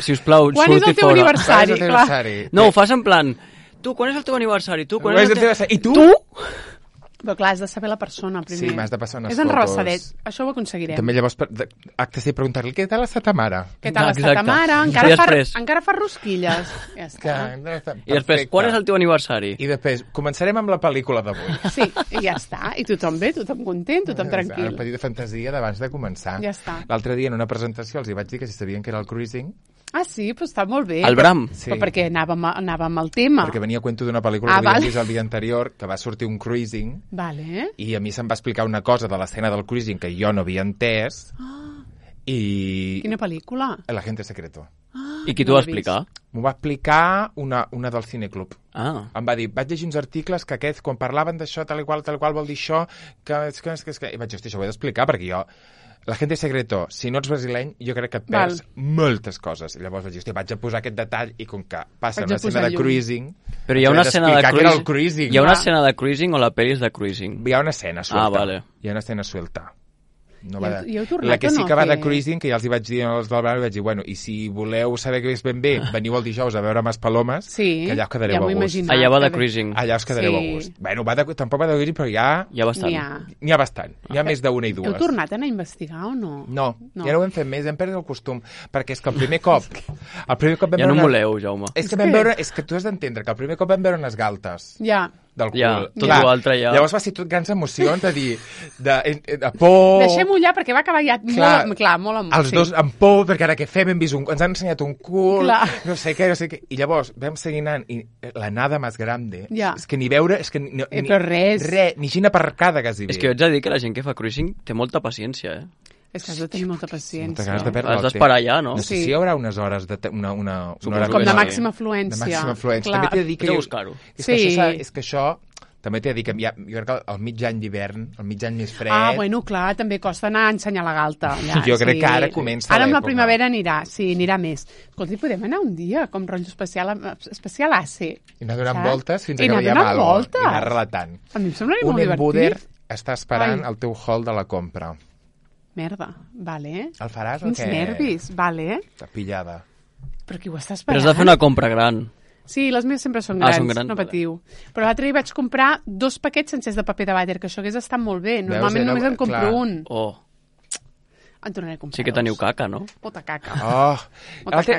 Sisplau, quan és el teu aniversari? No, ho fas en plan... Tu, quan és el teu aniversari? I tu? Tu? Però clar, has de saber la persona primer. Sí, m'has de passar unes fotos. És enrevessadet, això ho aconseguirem. També llavors, acte de preguntar-li, què tal està ta mare? Què tal està ta mare? Encara fa rosquilles. Ja està. I després, quan és el teu aniversari? I després, començarem amb la pel·lícula d'avui. Sí, i ja està. I tothom bé, tothom content, tothom tranquil. Una petita fantasia d'abans de començar. Ja està. L'altre dia, en una presentació, els hi vaig dir que si sabien que era el cruising. Ah, sí? Però està molt bé. El Bram? Sí. Però perquè anàvem al tema. Perquè venia a cuento d'una pel·lícula que havíem vist el dia anterior, que va sortir un cruising, i a mi se'm va explicar una cosa de l'escena del cruising que jo no havia entès, i... Quina pel·lícula? El agente secreto. I qui t'ho va explicar? M'ho va explicar una del Cineclub. Em va dir, vaig llegir uns articles que aquests, quan parlaven d'això, tal i qual vol dir això, que... I vaig dir, hosti, això ho he d'explicar, perquè jo... La gente secreto, si no ets brasileny, jo crec que et perds moltes coses. I llavors vaig dir, vaig a posar aquest detall i com que passa una escena de cruising... Però hi ha una escena de cruising. Hi ha una escena de cruising o la pel·li és de cruising? Hi ha una escena suelta. Vale. Hi ha una escena suelta. No va de... La que sí que va de cruising, que ja els hi vaig dir als del Bram, vaig dir, bueno, i si voleu saber què és ben bé, veniu el dijous a veure Maspalomes, que allà us quedareu a gust. Allà va de cruising. Allà us quedareu a gust. Bueno, tampoc va de cruising, però hi ha bastant. N'hi ha bastant. N'hi ha més d'una i dues. Heu tornat a anar a investigar o no? No, ja no ho hem fet més, hem perdut el costum, perquè és que el primer cop vam veure... Ja no moleu, Jaume. És que tu has d'entendre que el primer cop vam veure unes galtes. Ja. Del cul. Ja, tot l'altre ja. Llavors va ser tot grans emocions de dir, de por... Deixem-ho ja, perquè va acabar ja molt amb... Els dos amb por, perquè ara què fem? Ens han ensenyat un cul, no sé què. I llavors vam seguir anant, i la nada més grande, és que ni veure... Però res. Ni gent aparcada, quasi bé. És que jo haig de dir que la gent que fa cruising té molta paciència, És que has de tenir molta paciència. Has d'esperar allà, no? No sé si hi haurà unes hores com de màxima afluència. De màxima afluència. També t'he de dir que... buscar-ho. És que això... També t'he de dir que jo crec que el mig any d'hivern, el mig any més fred... Ah, bueno, clar, també costa anar a ensenyar la galta. Jo crec que ara comença l'època. Ara amb la primavera anirà més. Escolta, podem anar un dia, com rotllo especial AC. I anar donant voltes fins que veiem alguna cosa. I anar relatant. A mi em semblaria molt divertit. Un embuder està esperant el teu hall de la compra. Merda, vale. El faràs o què? Quins nervis, vale. Està pillada. Però qui ho està esperant? Però has de fer una compra gran. Sí, les meves sempre són grans, no patiu. Però l'altre dia vaig comprar 2 paquets sencers de paper de vàter, que això hagués estat molt bé. Normalment només en compro un. En tornaré a comprar. Sí que teniu caca, no? Molta caca.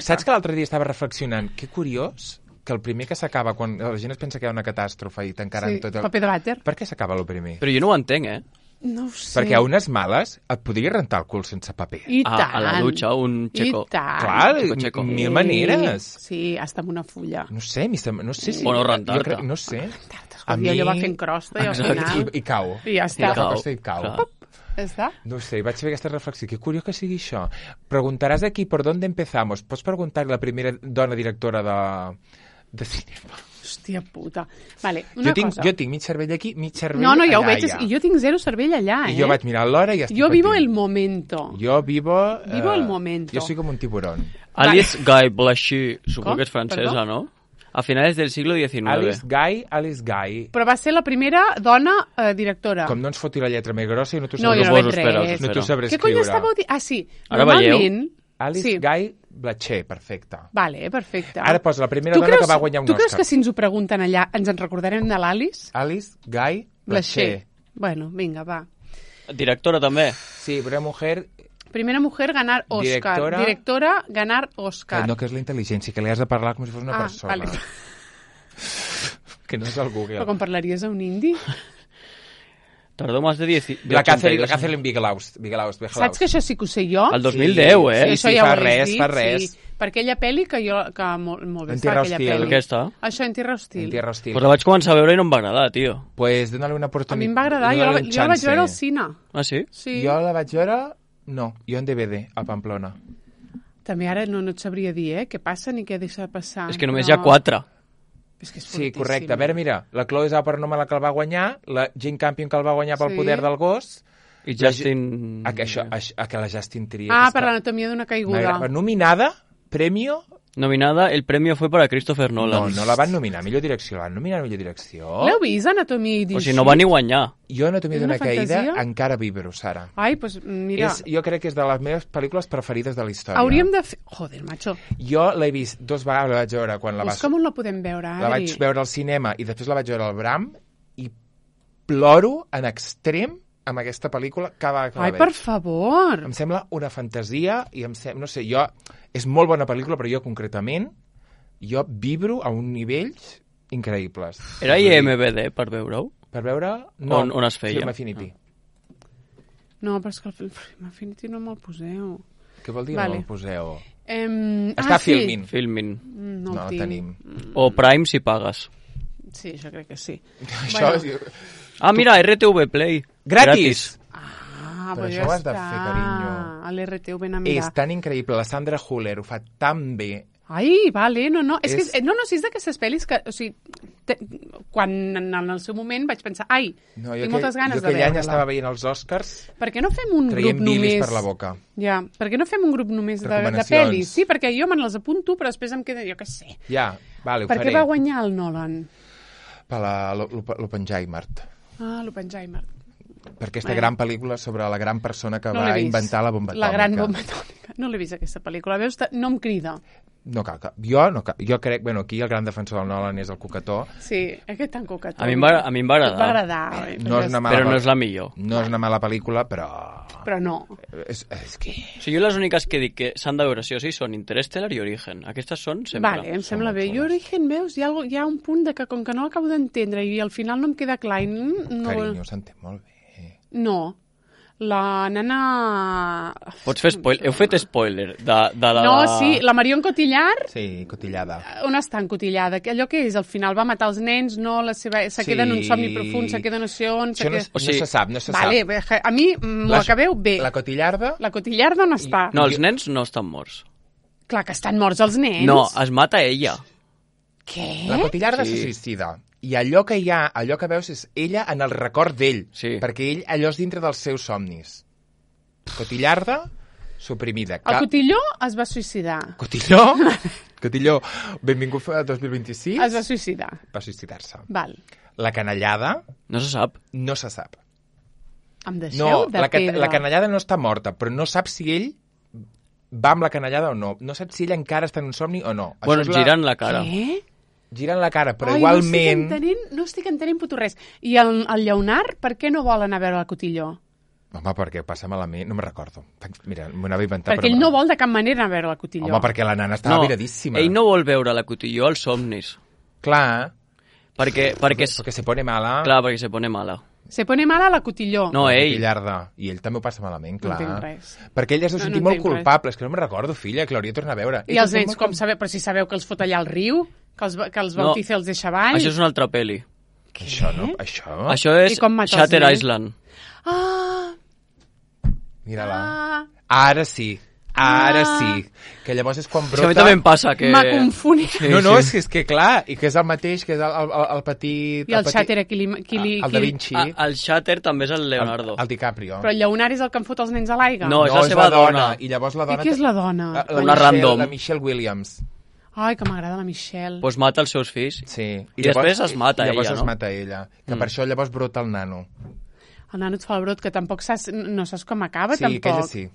Saps que l'altre dia estava reflexionant? Que curiós que el primer que s'acaba, quan la gent es pensa que hi ha una catàstrofe i tancaran tot el... paper de vàter. Per què s'acaba el primer? Però jo no ho entenc, No ho sé. Perquè a unes males et podria rentar el cul sense paper. I tant. A la dutxa, un xeco. I tant. Clar, mil maneres. Sí, hasta amb una fulla. No sé si... O no rentar-te. No sé. A mi... allò va fent crosta i al final... I cau. I ja està. I cau. ¿Está? No sé, vaig fer aquesta reflexió. Que curiós que sigui això. Preguntaràs aquí per on empezamos. Pots preguntar la primera dona directora de cinema. Hòstia puta. Vale, una cosa. Jo tinc mig cervell aquí, mig cervell allà. No, ja ho veig. I jo tinc 0 cervell allà, I jo vaig mirar l'hora i ja estic Jo vivo el momento. Jo vivo el momento. Jo soy como un tiburón. Alice Guy Blanchet, supongo que és francesa, ¿no? A finales del siglo XIX. Alice Guy. Però va ser la primera dona directora. Com no ens foti la lletra més grossa i no t'ho sabré res. No t'ho sabré escriure. Què cony estàveu dient? Ah, sí. Ara veieu? Alice Guy Blanchet, perfecte. Vale, perfecte. Ara posa la primera dona que va guanyar un Òscar. Tu creus que si ens ho pregunten allà ens en recordarem de l'Alice? Alice Guy Blanchet. Bueno, vinga, va. Directora també. Sí, una mujer... Primera mujer ganar Òscar. Directora ganar Òscar. No, que és la intel·ligència, que li has de parlar com si fos una persona. Vale. Que no és el Google. Però com parlaries a un indi? Tardó más de 10... La Catherine Bigelow. Saps que això sí que ho sé jo? El 2010, Sí, ja fa res. Sí, per aquella pel·li que molt bé està, aquella pel·li. Aquesta? Això, En Tierra Hostil. Pues la vaig començar a veure i no em va agradar, tio. Pues dóna-li una oportunitat. A mi em va agradar, jo la vaig veure al cine. Ah, sí? Sí. Jo la vaig veure... No, jo en DVD, a Pamplona. També ara no et sabria dir, què passa ni què deixa de passar. És que només hi ha 4. És que és sí, correcte. A veure, mira, la Chloe Zhao per Noma la que el va guanyar, la Jane Campion que el va guanyar pel poder del gos... I Justin... que la Justin Trier. Ah, per l'anatomia d'una caiguda. Nominada, premio... Nominada, el premio fue para Christopher Nolan. No la van nominar a millor direcció, la van nominar a millor direcció. L'heu vist, Anatomia i O sigui, no va ni guanyar. Jo, Anatomia d'una caïda, encara vibro, Sara. Ai, pues mira... Jo crec que és de les meves pel·lícules preferides de la història. Hauríem de fer... Joder, macho. Jo l'he vist 2 vegades, la vaig veure quan la vas... Com on la podem veure, Adri? La vaig veure al cinema i després la vaig veure al Bram i ploro en extrem amb aquesta pel·lícula cada vegada que la veig. Ai, per favor! Em sembla una fantasia i no sé, és molt bona pel·lícula, però jo concretament vibro a uns nivells increïbles. Era IMDb per veure-ho? Per veure... No, on es feia? Film Affinity. No, però és que el Film Affinity no me'l poseu. Què vol dir no me'l poseu? Està Filmin. Filmin. No el tenim. O Prime si pagues. Sí, jo crec que sí. Això mira, RTV Play. Gratis! Però això ho has de fer, carinyo. A l'RTV ben a mirar. És tan increïble. La Sandra Huller ho fa tan bé. Ai, vale, no. És que, és d'aquestes pel·lis que, o sigui, quan en el seu moment vaig pensar, tinc moltes ganes de veure-la. Jo aquell any estava veient els Oscars per què no fem un grup només... per la boca. Ja, per què no fem un grup només de pel·lis? Sí, perquè jo me'n les apunto, però després em queda, jo què sé. Ja, vale, ho faré. Per què va guanyar el Nolan? Per l'Oppenheimer. L'Oppenheimer. Per aquesta gran pel·lícula sobre la gran persona que va inventar la bomba atòmica. La gran bomba atòmica. No l'he vist, aquesta pel·lícula. Veus, no em crida. No cal. Jo crec... Bueno, aquí el gran defensor del Nolan és el Cucató. Sí, aquest tan Cucató. A mi em va agradar. Va agradar. Però no és la millor. No és una mala pel·lícula, però... Però no. És que... O sigui, jo les úniques que dic que s'han de veure sí o sí són Interstellar i Origen. Aquestes són sempre. Vale, em sembla bé. Jo Origen, veus, hi ha un punt de que com que no l'acabo d'entendre i al final no em queda clar... Carinyo, s'entén molt bé. No. La nena... Pots fer spoiler? Heu fet spoiler de la... No, sí, la Marion Cotillard... Sí, Cotillada. On està en Cotillada? Allò que és, al final va matar els nens, no? Se queda en un somni profund, se queda no sé on... No se sap. Vale, a mi m'ho acabeu bé. La Cotillarda? La Cotillarda on està? No, els nens no estan morts. Clar que estan morts els nens. No, es mata ella. Què? La Cotillarda se suïcida. I allò que veus és ella en el record d'ell, perquè ell allò és dintre dels seus somnis. Cotillarda, suprimida. El Cotilló es va suïcidar. Cotilló, benvingut a 2026. Es va suïcidar. Va suïcidar-se. Val. La canallada... No se sap. No se sap. Em deixeu de pedra. La canallada no està morta, però no sap si ell va amb la canallada o no. No sap si ell encara està en un somni o no. Bueno, girant la cara. Què? Girant la cara, però igualment... No estic entenent puto res. I el Lleonard, per què no vol anar a veure el Cotilló? Home, perquè passa malament, no me'n recordo. Mira, m'ho anava a inventar. Perquè ell no vol de cap manera anar a veure la Cotilló. Home, perquè la nana estava viradíssima. Ell no vol veure la Cotilló als somnis. Clar. Perquè se pone mala. Clar, perquè se pone mala. Se pone mala la Cotilló. No, ell. I ell també ho passa malament, clar. No entenc res. Perquè ell es deu sentir molt culpable. És que no me'n recordo, filla, que l'hauria de tornar a veure. I els nens, com sabeu? Però si sabeu que els fot allà al riu, que els bautiza els deixa avall... Això és una altra pel·li. Això no? Això és Shutter Island. Mira-la. Ara sí. Que llavors és quan brota... És que a mi també em passa que... M'ha confonit. No, és que clar, i que és el mateix, que és el petit... I el Shutter, el Da Vinci. El Shutter també és el Leonardo. El DiCaprio. Però el Lleonard és el que em fot els nens a l'aigua? No, és la seva dona. I llavors la dona... I qui és la dona? Una random. La Michelle Williams. Ai, que m'agrada la Michelle. Pues mata els seus fills. Sí. I després es mata ella, no? I llavors es mata ella. Que per això llavors brota el nano. El nano et fa el brot, que tampoc no saps com acaba, tampoc. Sí, aquella sí.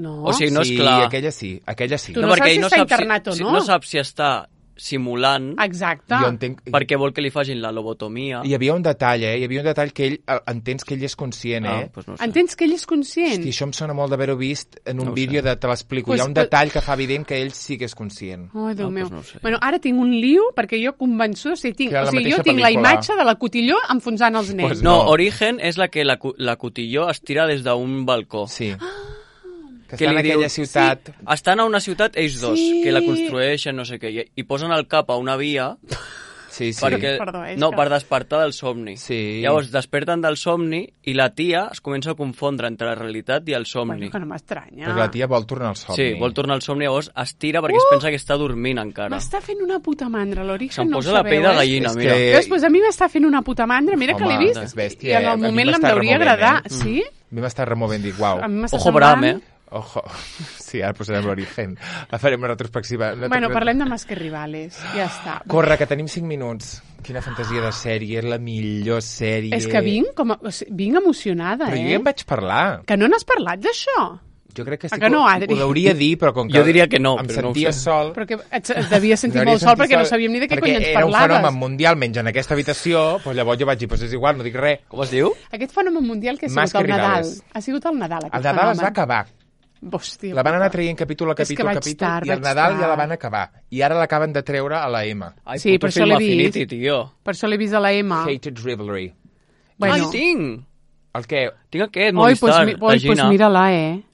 No? O sigui, no és clar. Sí, aquella sí. Tu no saps si està internat o no? No saps si està simulant. Exacte. Jo entenc... Perquè vol que li facin la lobotomia. Hi havia un detall, Hi havia un detall que ell... Entens que ell és conscient, Pues no sé. Entens que ell és conscient? Hosti, això em sona molt d'haver-ho vist en un vídeo de te l'explico. Hi ha un detall que fa evident que ell sí que és conscient. Ai, Déu meu. No sé. Bueno, ara tinc un lío, perquè jo convençuda... Jo tinc la imatge de la Cotilló enfonsant els nens. Pues no, Origen és la que la Cotilló es tira des d'un balcó. Sí. Que estan en aquella ciutat... Sí. Estan a una ciutat ells dos, que la construeixen, no sé què, i posen el cap a una via perquè, per despertar del somni. Sí. Llavors desperten del somni i la tia es comença a confondre entre la realitat i el somni. Bueno, que no m'estranya. Perquè la tia vol tornar al somni. Sí, vol tornar al somni, llavors es tira perquè es pensa que està dormint encara. M'està fent una puta mandra, l'Origen no ho sabeu. Se'm posa la pell de gallina, mira. Pues a mi m'està fent una puta mandra, mira que l'he vist. És bèstia, i en el moment em hauria agradar. Sí? A mi m'està removent, dic, uau. Ojo Bram, Ojo. Sí, ara posarem l'Origen. La farem una retrospectiva. Bueno, parlem de Más que Rivales. Ja està. Corre, que tenim 5 minuts. Quina fantasia de sèrie. És la millor sèrie. És que vinc emocionada, Però jo ja en vaig parlar. Que no n'has parlat, d'això? Jo crec que sí que ho hauria dir, però com que jo diria que no, em sentia sol... Però que et devies sentir molt sol perquè no sabíem ni de què cony ens parlaves. Perquè era un fenomen mundial, menys en aquesta habitació, doncs llavors jo vaig dir, és igual, no dic res. Com es diu? Aquest fenomen mundial que ha sigut el Nadal. Ha sigut el Nadal, aquest fenomen. El Nadal es va acabar. Hòstia, la van anar traient capítol a capítol, i el Nadal ja la van acabar. I ara l'acaben de treure a la M. Ai, sí, per això l'he vist. Per això l'he vist a la M. Hated Rivalry. Bueno. Tinc! El què? Tinc aquest, Movistar, la Gina. Pues mira-la,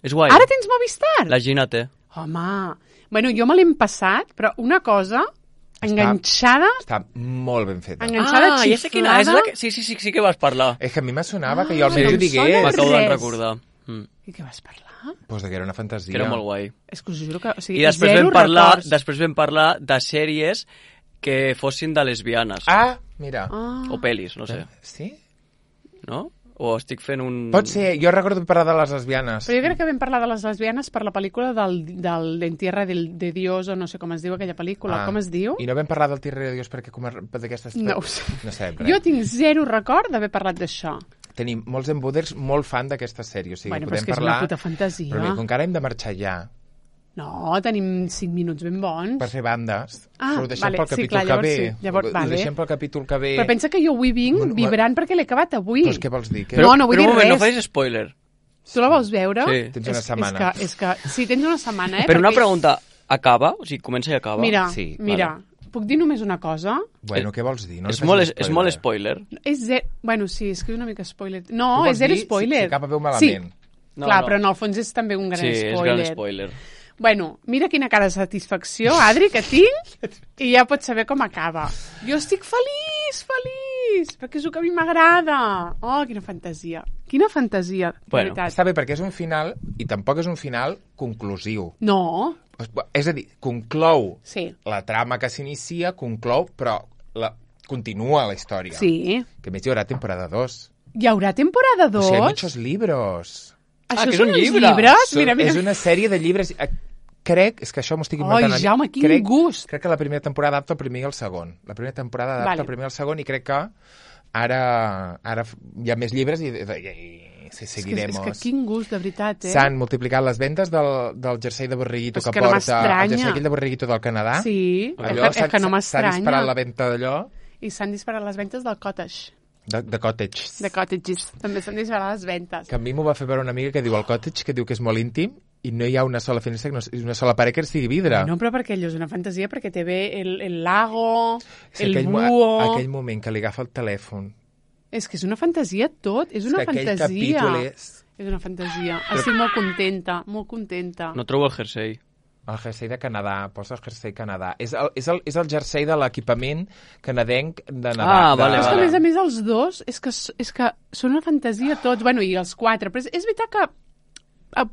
És guai. Ara tens Movistar? La Gina té. Home, bueno, jo me l'hem passat, però una cosa... Enganxada... Està molt ben feta. Enganxada, xiflada... Ja sé quina és. Sí que vas parlar. És que a mi me sonava que jo almenys ho digués. M'acabo de recordar. I què vas parlar? Pues que era una fantasia. Que era molt guai. És que us juro que... O sigui, I després vam parlar de sèries que fossin de lesbianes. Ah, mira. O pel·lis, no sé. Sí? No? O estic fent un... Pot ser, jo recordo parlar de les lesbianes. Però jo crec que vam parlar de les lesbianes per la pel·lícula del Entierra de Dios, o no sé com es diu aquella pel·lícula. Com es diu? I no vam parlar del Tierra de Dios perquè d'aquestes... No ho sé. No sabem res. Jo tinc zero record d'haver parlat d'això. Tenim molts embuders molt fan d'aquesta sèrie. O sigui, bueno, però és que és una puta fantasia. Però mira, com que ara hem de marxar ja... No, tenim 5 minuts ben bons. Per fer bandes. Ho deixem pel capítol que ve. Llavors, ho deixem pel capítol que ve. Però pensa que jo avui vinc vibrant perquè l'he acabat avui. Doncs què vols dir? No vull dir res. No facis spoiler. Tu la vols veure? Sí. Tens una setmana. És que sí, tens una setmana, Però una pregunta, acaba? O sigui, comença i acaba? Mira, puc dir només una cosa? Bueno, què vols dir? És molt spoiler. Bueno, sí, és que és una mica spoiler. No, és zero spoiler. Si acaba veu malament. Sí, clar, però en el fons és també un gran spoiler. Sí, és gran spoiler. Bueno, mira quina cara de satisfacció, Adri, que tinc, i ja pots saber com acaba. Jo estic feliç, perquè és el que a mi m'agrada. Oh, quina fantasia. Quina fantasia, bueno, veritat. Està bé, perquè és un final, i tampoc és un final conclusiu. No. És a dir, conclou la trama que s'inicia, conclou, però continua la història. Sí. Que a més hi haurà temporada 2. Hi haurà temporada 2? O sigui, hi ha muchos libros. Això que és un llibre? Mira. És una sèrie de llibres... Crec, és que això m'ho estic inventant. Ai, Jaume, quin gust! Crec que la primera temporada adapta el primer i el segon. La primera temporada adapta el primer i el segon i crec que ara hi ha més llibres i seguirem. És que quin gust, de veritat, S'han multiplicat les vendes del jersei de borriguito que porta... El jersei aquell de borriguito del Canadà. Sí, és que no m'estranya. S'ha disparat la venda d'allò. I s'han disparat les ventes del cottage. De cottages. De cottages. També s'han disparat les ventes. Que a mi m'ho va fer veure una amiga que diu el cottage, que diu que és molt íntim, i no hi ha una sola finestra, una sola paret que sigui vidre. No, però perquè allò és una fantasia, perquè té bé el lago, el búho... Aquell moment que li agafa el telèfon. És que és una fantasia tot, és una fantasia. Aquell capítol és... És una fantasia. Estic molt contenta, molt contenta. No trobo el jersei. El jersei de Canadà, posa el jersei Canadà. És el jersei de l'equipament canadenc de Nadal. Vale. És que, a més, els dos, és que són una fantasia tots, bueno, i els 4, però és veritat que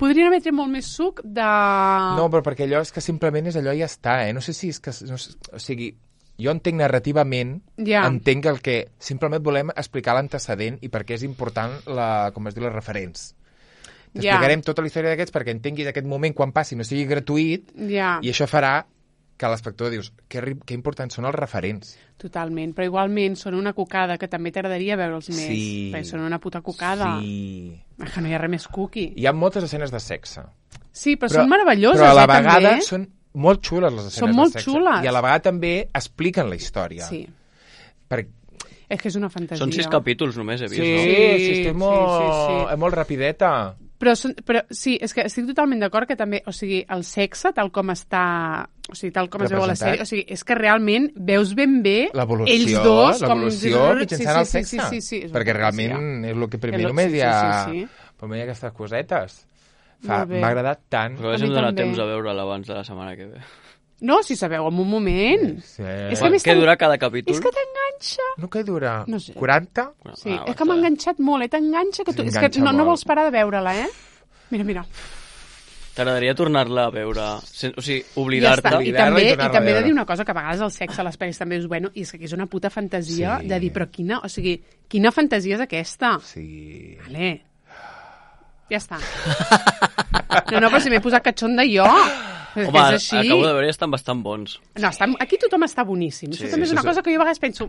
podrien haver tret molt més suc de... No, però perquè allò és que simplement és allò i ja està, No sé si és que... o sigui, jo entenc narrativament, entenc el que... Simplement volem explicar l'antecedent i per què és important, com es diu, les referents. T'explicarem tota la història d'aquests perquè entenguis aquest moment quan passi no sigui gratuït i això farà que l'espectador dius que importants són els referents. Totalment, però igualment són una cocada que també t'agradaria veure'ls més. Perquè són una puta cocada. Sí. Que no hi ha res més cookie. Hi ha moltes escenes de sexe. Sí, però són meravelloses, però a la vegada són molt xules les escenes de sexe. Són molt xules. I a la vegada també expliquen la història. Sí. És que és una fantasia. Són 6 capítols només, he vist, no? Sí, estic molt rapideta. Però sí, és que estic totalment d'acord que també, o sigui, el sexe, tal com està, o sigui, tal com es veu a la sèrie, o sigui, és que realment veus ben bé ells dos com... L'evolució mitjançant el sexe. Sí, perquè realment és el que primer només hi ha... Però hi ha aquestes cosetes. M'ha agradat tant. Però hem donat temps a veure'l abans de la setmana que ve. No, si sabeu, en un moment. Sí. És que què dura cada capítol? És que t'enganxa. No, què dura? No sé. 40? Sí, és que m'ha enganxat molt, t'enganxa que tu... És que no vols parar de veure-la, Mira. T'agradaria tornar-la a veure, o sigui, oblidar-te. I també he de dir una cosa, que a vegades el sexe a les pel·lis també és bueno, i és que és una puta fantasia de dir, però quina fantasia és aquesta? Sí. Vale. Ja està. No, però si m'he posat catxonda jo... Home, acabo de veure i estan bastant bons. No, aquí tothom està boníssim. Això també és una cosa que jo a vegades penso...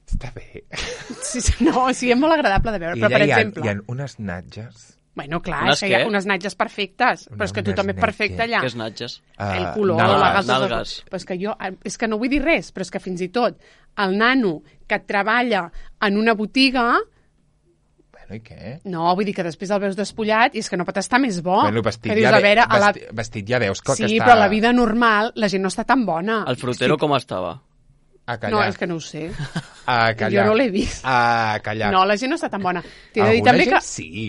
Està bé. Sí, és molt agradable de veure, però per exemple... Hi ha unes natges Bueno, clar, és que hi ha unes natges perfectes, però és que tu també és perfecte allà. Què és natges? El color, nalgues. Però és que és que no vull dir res, però és que fins i tot el nano que treballa en una botiga... Bueno, i què? No, vull dir que després el veus despullat i és que no pot estar més bo. Bueno, vestit ja veus que sí, està... Sí, però a la vida normal la gent no està tan bona. El frutero com estava? No, és que no ho sé. Jo no l'he vist. No, la gent no està tan bona. T'he de dir també que... sí.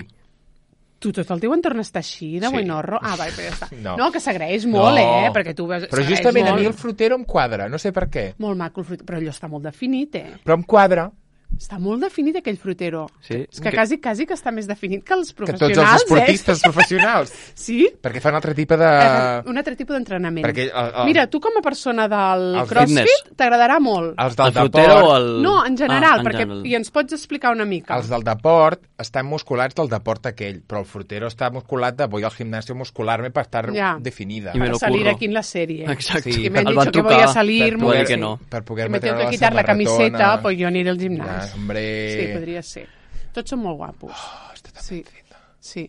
Tu tot el teu entorn està així, de buenorro? Ah, però ja està. No, que s'agraeix molt, perquè tu veus... Però justament a mi el frutero em quadra, no sé per què. Molt maco el frutero, però allò està molt definit, Però em quadra. Està molt definit aquell frutero. Sí. És que quasi que està més definit que els professionals, que tots els esportistes professionals. Sí? Perquè fan un altre tipus de... Un altre tipus d'entrenament. Perquè Mira, tu com a persona del CrossFit t'agradarà molt. Els del deport... No, en general, i ens pots explicar una mica. Els del deport estan musculats del deport aquell, però el frutero està musculat de voy al gimnasio muscularme per estar definida. Para salir aquí en la serie. Exacte. Sí, me han dicho que voy a salir... Per poder me tengo que quitar la camiseta, pues yo aniré al gimnasio. Hombre... Sí, podria ser. Tots són molt guapos. Està tan ben feta. Sí.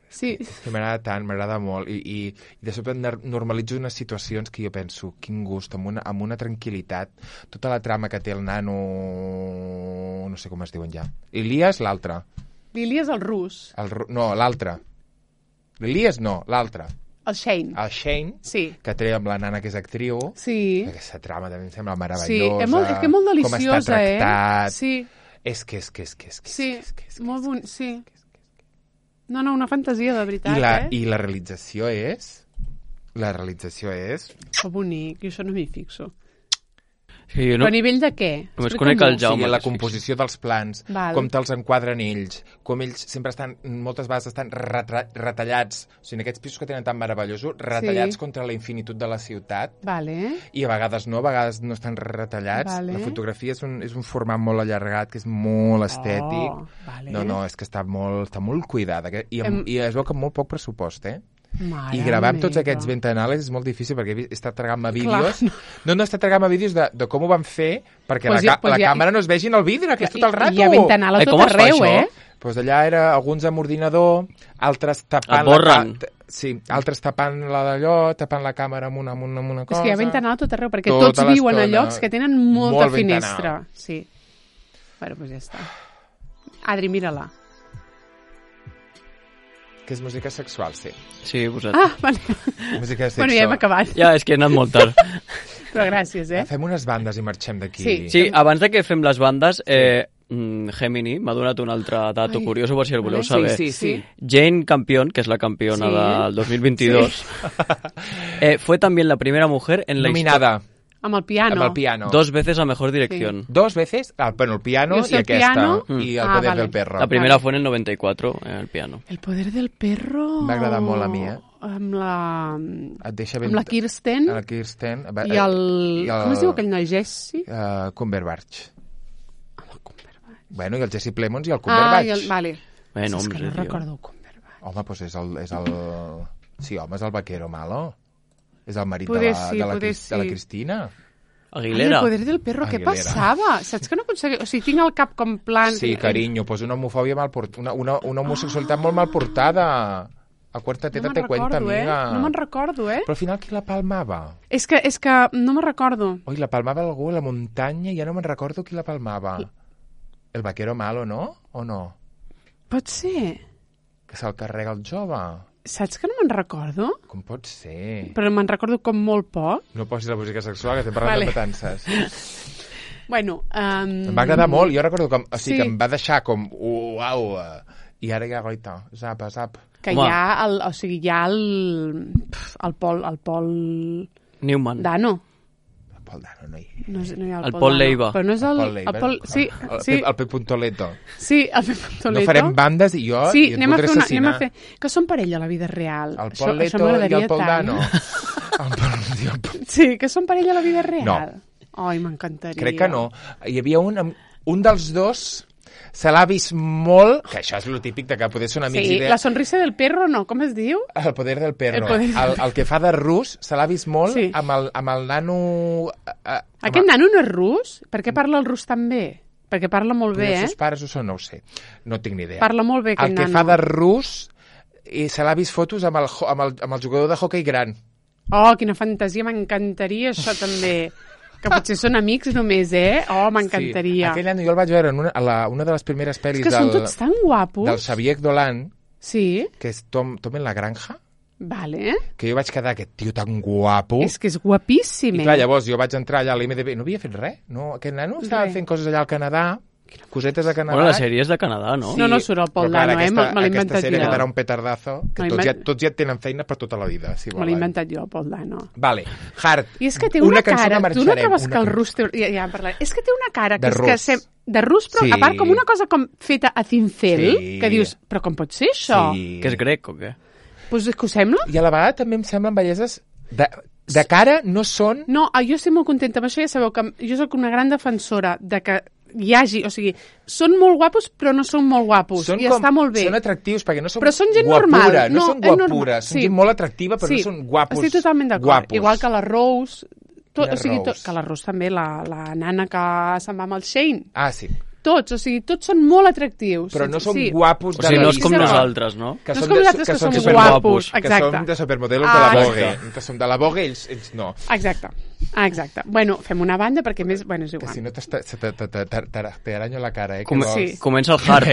Sí, m'agrada tant, m'agrada molt. I de sobte normalitzo unes situacions que jo penso, quin gust, amb una tranquil·litat. Tota la trama que té el nano... No sé com es diuen ja. L'Ilias, l'altre. L'Ilias, el rus. No, l'altre. L'Ilias no, l'altre. El Shane. El Shane, que té amb la nana que és actriu. Sí. Aquesta trama també em sembla meravellosa. Sí, és que molt deliciosa, com està tractat. Sí. És que. Sí, molt bonic, sí. No, una fantasia, de veritat, I la realització és... Que bonic, jo això no m'hi fixo. Sí, però a nivell de què? Només conec el Jaume. Sí, la composició dels plans, com te'ls enquadren ells, com ells sempre moltes vegades estan retallats, o sigui, en aquests pisos que tenen tan meravellosos, retallats contra la infinitud de la ciutat, i a vegades no estan retallats. La fotografia és un format molt allargat, que és molt estètic. No, és que està molt cuidada, i es veu que amb molt poc pressupost, I gravar amb tots aquests ventanales és molt difícil perquè he estat tragant-me vídeos. No he estat tragant-me vídeos de com ho van fer perquè la càmera no es vegi en el vidre, que és tot el rato. Hi ha ventanal a tot arreu, Doncs allà era alguns amb ordinador, altres tapant... altres tapant la d'allò, tapant la càmera amb una cosa... És que hi ha ventanal a tot arreu, perquè tots viuen a llocs que tenen molta finestra. Sí. Bueno, doncs ja està. Adri, mira-la. Que és música sexual, sí. Sí, vosaltres. Ah, vale. Música sexual. Bueno, ja hem acabat. Ja, és que he anat molt tard. Però gràcies, Fem unes bandes i marxem d'aquí. Sí, abans de que fem les bandes, Gemini m'ha donat un altre dato curioso, per si el voleu saber. Sí. Jane Campion, que és la campiona del 2022, fue también la primera mujer en la nominada. Amb el piano. 2 veces a mejor dirección. 2 veces? Bueno, el piano y aquesta. Y El poder del perro. La primera fue en el 94, el piano. El poder del perro... M'ha agradat molt a mi, Amb la Kirsten. La Kirsten. I el... Com es diu aquell noi? Jesse? Cumberbatch. Amb el Cumberbatch. Bueno, i el Jesse Plemons i el Cumberbatch. Vale. Bueno, és que no recordo el Cumberbatch. Home, doncs és el... Sí, home, és el vaquero malo. És el marit de la Cristina. Aguilera. El poder del perro, què passava? Saps que no aconseguia... O sigui, tinc el cap com plan... Sí, carinyo, pues una homofòbia mal portada, una homosexualitat molt mal portada. A quarta teta te cuenta, amiga. No me'n recordo, Però al final qui la palmava? És que no me'n recordo. Oi, la palmava algú a la muntanya i ja no me'n recordo qui la palmava. El vaquero malo, no? O no? Pot ser. Que se'l carrega el jove. Saps que no me'n recordo? Com pot ser? Però me'n recordo com molt poc. No posis la música sexual, que estem parlant de petances. Bueno... Em va agradar molt, jo recordo que em va deixar com... Uau! I ara ja, goita, zap. Que hi ha el Pol... Newman. Dano. El Pol Dano no hi ha. No hi ha el Pol Leiva. Però no és el Pol... Sí. El Pep Puntoleto. Sí, el Pep Puntoleto. No farem bandes i jo sí, i et podré assassinar. Anem a fer... Que són parella a la vida real. El Pol Leto i el Pol Dano. Sí, que són parella a la vida real. No. Ai, m'encantaria. Crec que no. Hi havia un dels dos... Se l'ha vist molt, que això és el típic de que poder ser un amic... Sí, la sonrisa del perro, no? Com es diu? El poder del perro. El que fa de rus se l'ha vist molt amb el nano... Aquest nano no és rus? Per què parla el rus tan bé? perquè parla molt bé, Els seus pares ho són, no ho sé. No tinc ni idea. Parla molt bé, el que fa de rus i se l'ha vist fotos amb el jugador de hoquei gran. Oh, quina fantasia, m'encantaria això també. Que potser són amics només, Oh, m'encantaria. Sí, aquell any jo el vaig veure en una de les primeres pel·lis que són tots tan guapos. Del Xavier Dolan, sí. Que és Tom en la granja. Vale. Que jo vaig quedar, aquest tio tan guapo. És que és guapíssim. I clar, llavors jo vaig entrar allà a l'IMDb, no havia fet res, no? Aquest nano estava fent coses allà al Canadà, cosetes a Canadà. Bueno, la sèrie és de Canadà, no? Sí. No surt el Paul Dano, me l'he inventat jo. Aquesta sèrie quedarà un petardazo, que tots ja tenen feina per tota la vida, si volen. Me l'he inventat jo, el Paul Dano. Vale, Hard. I és que té una cara, tu no acabes que el rus... Ja en parlaré. És que té una cara que de rus, però a part com una cosa com feta a cincel, que dius, però com pot ser això? Que és grec o què? Pues és que ho sembla. I a la vegada també em semblen belleses de cara, no són... No, jo estic molt contenta amb això, ja sabeu que jo soc una gran defensora de que hi hagi, o sigui, són molt guapos però no són molt guapos, i està molt bé. Són atractius perquè no són però són gent guapura, normal. No són guapura, són gent molt atractiva però no són guapos. Estic totalment d'acord, igual que la Rose, que la Rose també, la nana que se'n va amb el Shane. Ah, sí. Tots són molt atractius. Però no són guapos de la vista. O sigui, no és com nosaltres, no? No és com nosaltres que som guapos. Que som de supermodelos de la Vogue. Que som de la Vogue i ells no. Exacte. Bueno, fem una banda perquè més... Bueno, és igual. Que si no t'aranyo la cara, Comença el hard.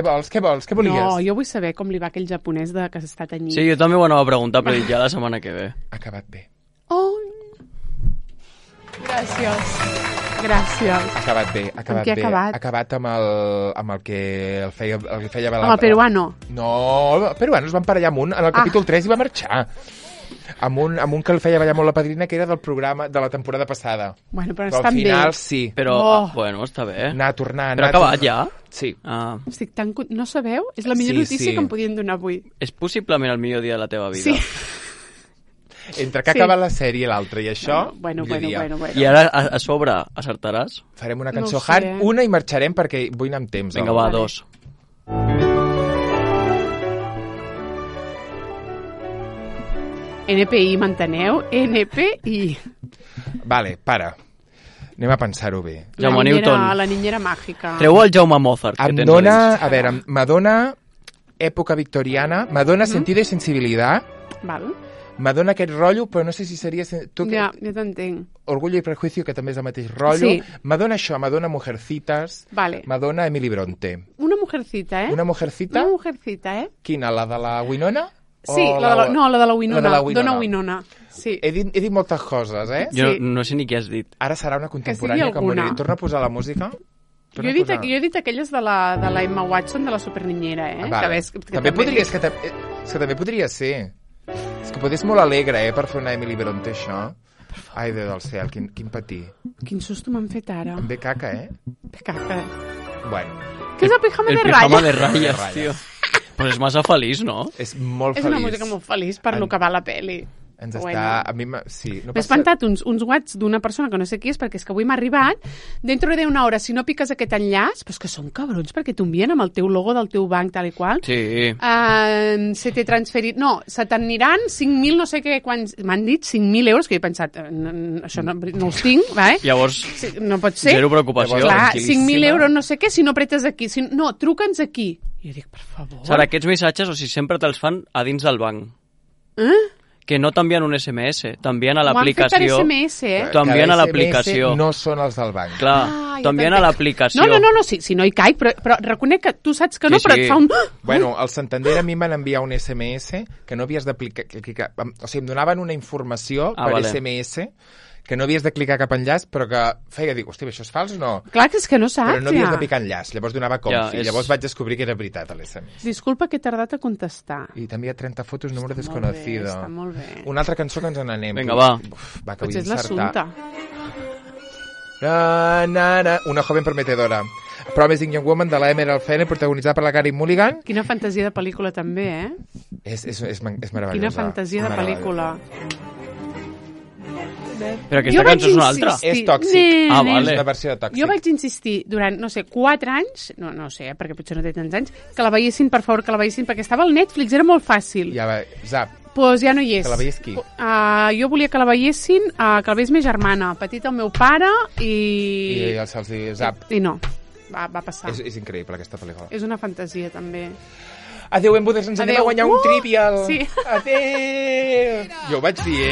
Què vols? Què volies? No, jo vull saber com li va aquell japonès que s'està tenyint. Sí, jo també ho anava a preguntar, però ja la setmana que ve. Ha acabat bé. Oh, gràcies. Ha acabat bé. Amb què ha acabat? Ha acabat amb el que el feia amb el peruano. No, el peruano es va emparellar amb un, en el capítol 3 i va marxar. Amb un que el feia ballar molt la padrina, que era del programa de la temporada passada. Bueno, però estan bé. Al final sí. Però, bueno, està bé. Anar a tornar. Però ha acabat ja? Sí. Estic tan... No sabeu? És la millor notícia que em podien donar avui. És possiblement el millor dia de la teva vida. Sí. Entre que acaba la sèrie i l'altra i això... Bueno. I ara, a sobre, acertaràs? Farem una cançó hard, una i marxarem perquè vull anar amb temps. Vinga, va, 2. NPI, m'enteneu? NPI. Vale, para. Anem a pensar-ho bé. Jaume Newton. La niñera màgica. Treu el Jaume Mozart, que tens a veure, m'adona època victoriana, m'adona sentido i sensibilitat. Val. M'adona aquest rotllo, però no sé si seria... Ja, jo t'entenc. Orgullo i prejuicio, que també és el mateix rotllo. Sí. M'adona això, m'adona Mujercitas. Vale. M'adona Emily Bronte. Una mujercita, Una mujercita? Una mujercita, Quina, la de la Winona? Sí, la de la Winona. Dona Winona. Sí. He dit moltes coses, Jo no sé ni què has dit. Ara serà una contemporània, com volia dir. Torna a posar la música. Jo he dit aquelles de la Emma Watson, de la superniñera, Vale. També podria... És que també podria ser. És que potser és molt alegre, per fer una Emily Bronte, això. Ai, Déu del cel, quin patir. Quin susto m'han fet ara. Em ve caca, Ve caca. Bueno. Què és el pijama de ratlles? El pijama de ratlles, tio. Però és massa feliç, no? És molt feliç. És una música molt feliç per lo que va la peli. Ens està... A mi sí. M'he espantat uns whats d'una persona que no sé qui és, perquè és que avui m'ha arribat, dentro de una hora, si no piques aquest enllaç, però és que són cabrons, perquè t'envien amb el teu logo del teu banc, tal i qual. Sí. Se t'he transferit... No, se t'aniran 5.000, no sé què, quants... M'han dit 5.000 euros, que he pensat, això no els tinc, vale? Llavors, no pot ser. Zero preocupació. Clar, 5.000 euros, no sé què, si no pretes aquí. No, truca'ns aquí. I jo dic, per favor. Sara, aquests missatges, o sigui, sempre te'ls fan a dins del banc. Que no t'envien un SMS, t'envien a l'aplicació. M'ho han fet per SMS, T'envien a l'aplicació. No són els del banc. Clar, t'envien a l'aplicació. No, si no hi caic, però reconec que tu saps que no, però et fa un... Bueno, al Santander a mi em van enviar un SMS que no havies d'aplicar... O sigui, em donaven una informació per SMS que no havies de clicar cap enllaç, però que feia dir, hòstia, això és fals o no? Clar, que és que no saps, Però no havies de picar enllaç, llavors donava confi. Llavors vaig descobrir que era veritat, l'SMS. Disculpa que he tardat a contestar. I també hi ha 30 fotos, número desconocido. Està molt bé. Una altra cançó que ens n'anem. Vinga, va. Potser és l'assumpte. Una joven prometedora. Promising Young Woman, de la Emerald Fennell, protagonitzada per la Carey Mulligan. Quina fantasia de pel·lícula, també, És meravellosa. Quina fantasia de pel·lícula. Però aquesta cançó és una altra. És tòxic. Vale. És una versió de tòxic. Jo vaig insistir durant, no sé, 4 anys, no sé, perquè potser no té tants anys, que la veiessin, per favor, que la veiessin, perquè estava al Netflix, era molt fàcil. Ja va, zap. Doncs ja no hi és. Que la veiés qui? Jo volia que la veiessin, que la veiés ma germana, petita el meu pare i... I se'ls diu zap. I no, va passar. És increïble, aquesta pel·lícula. És una fantasia, també. Adéu, Embuders, ens anem a guanyar un trivial. Sí. Adéu. Jo ho vaig dir,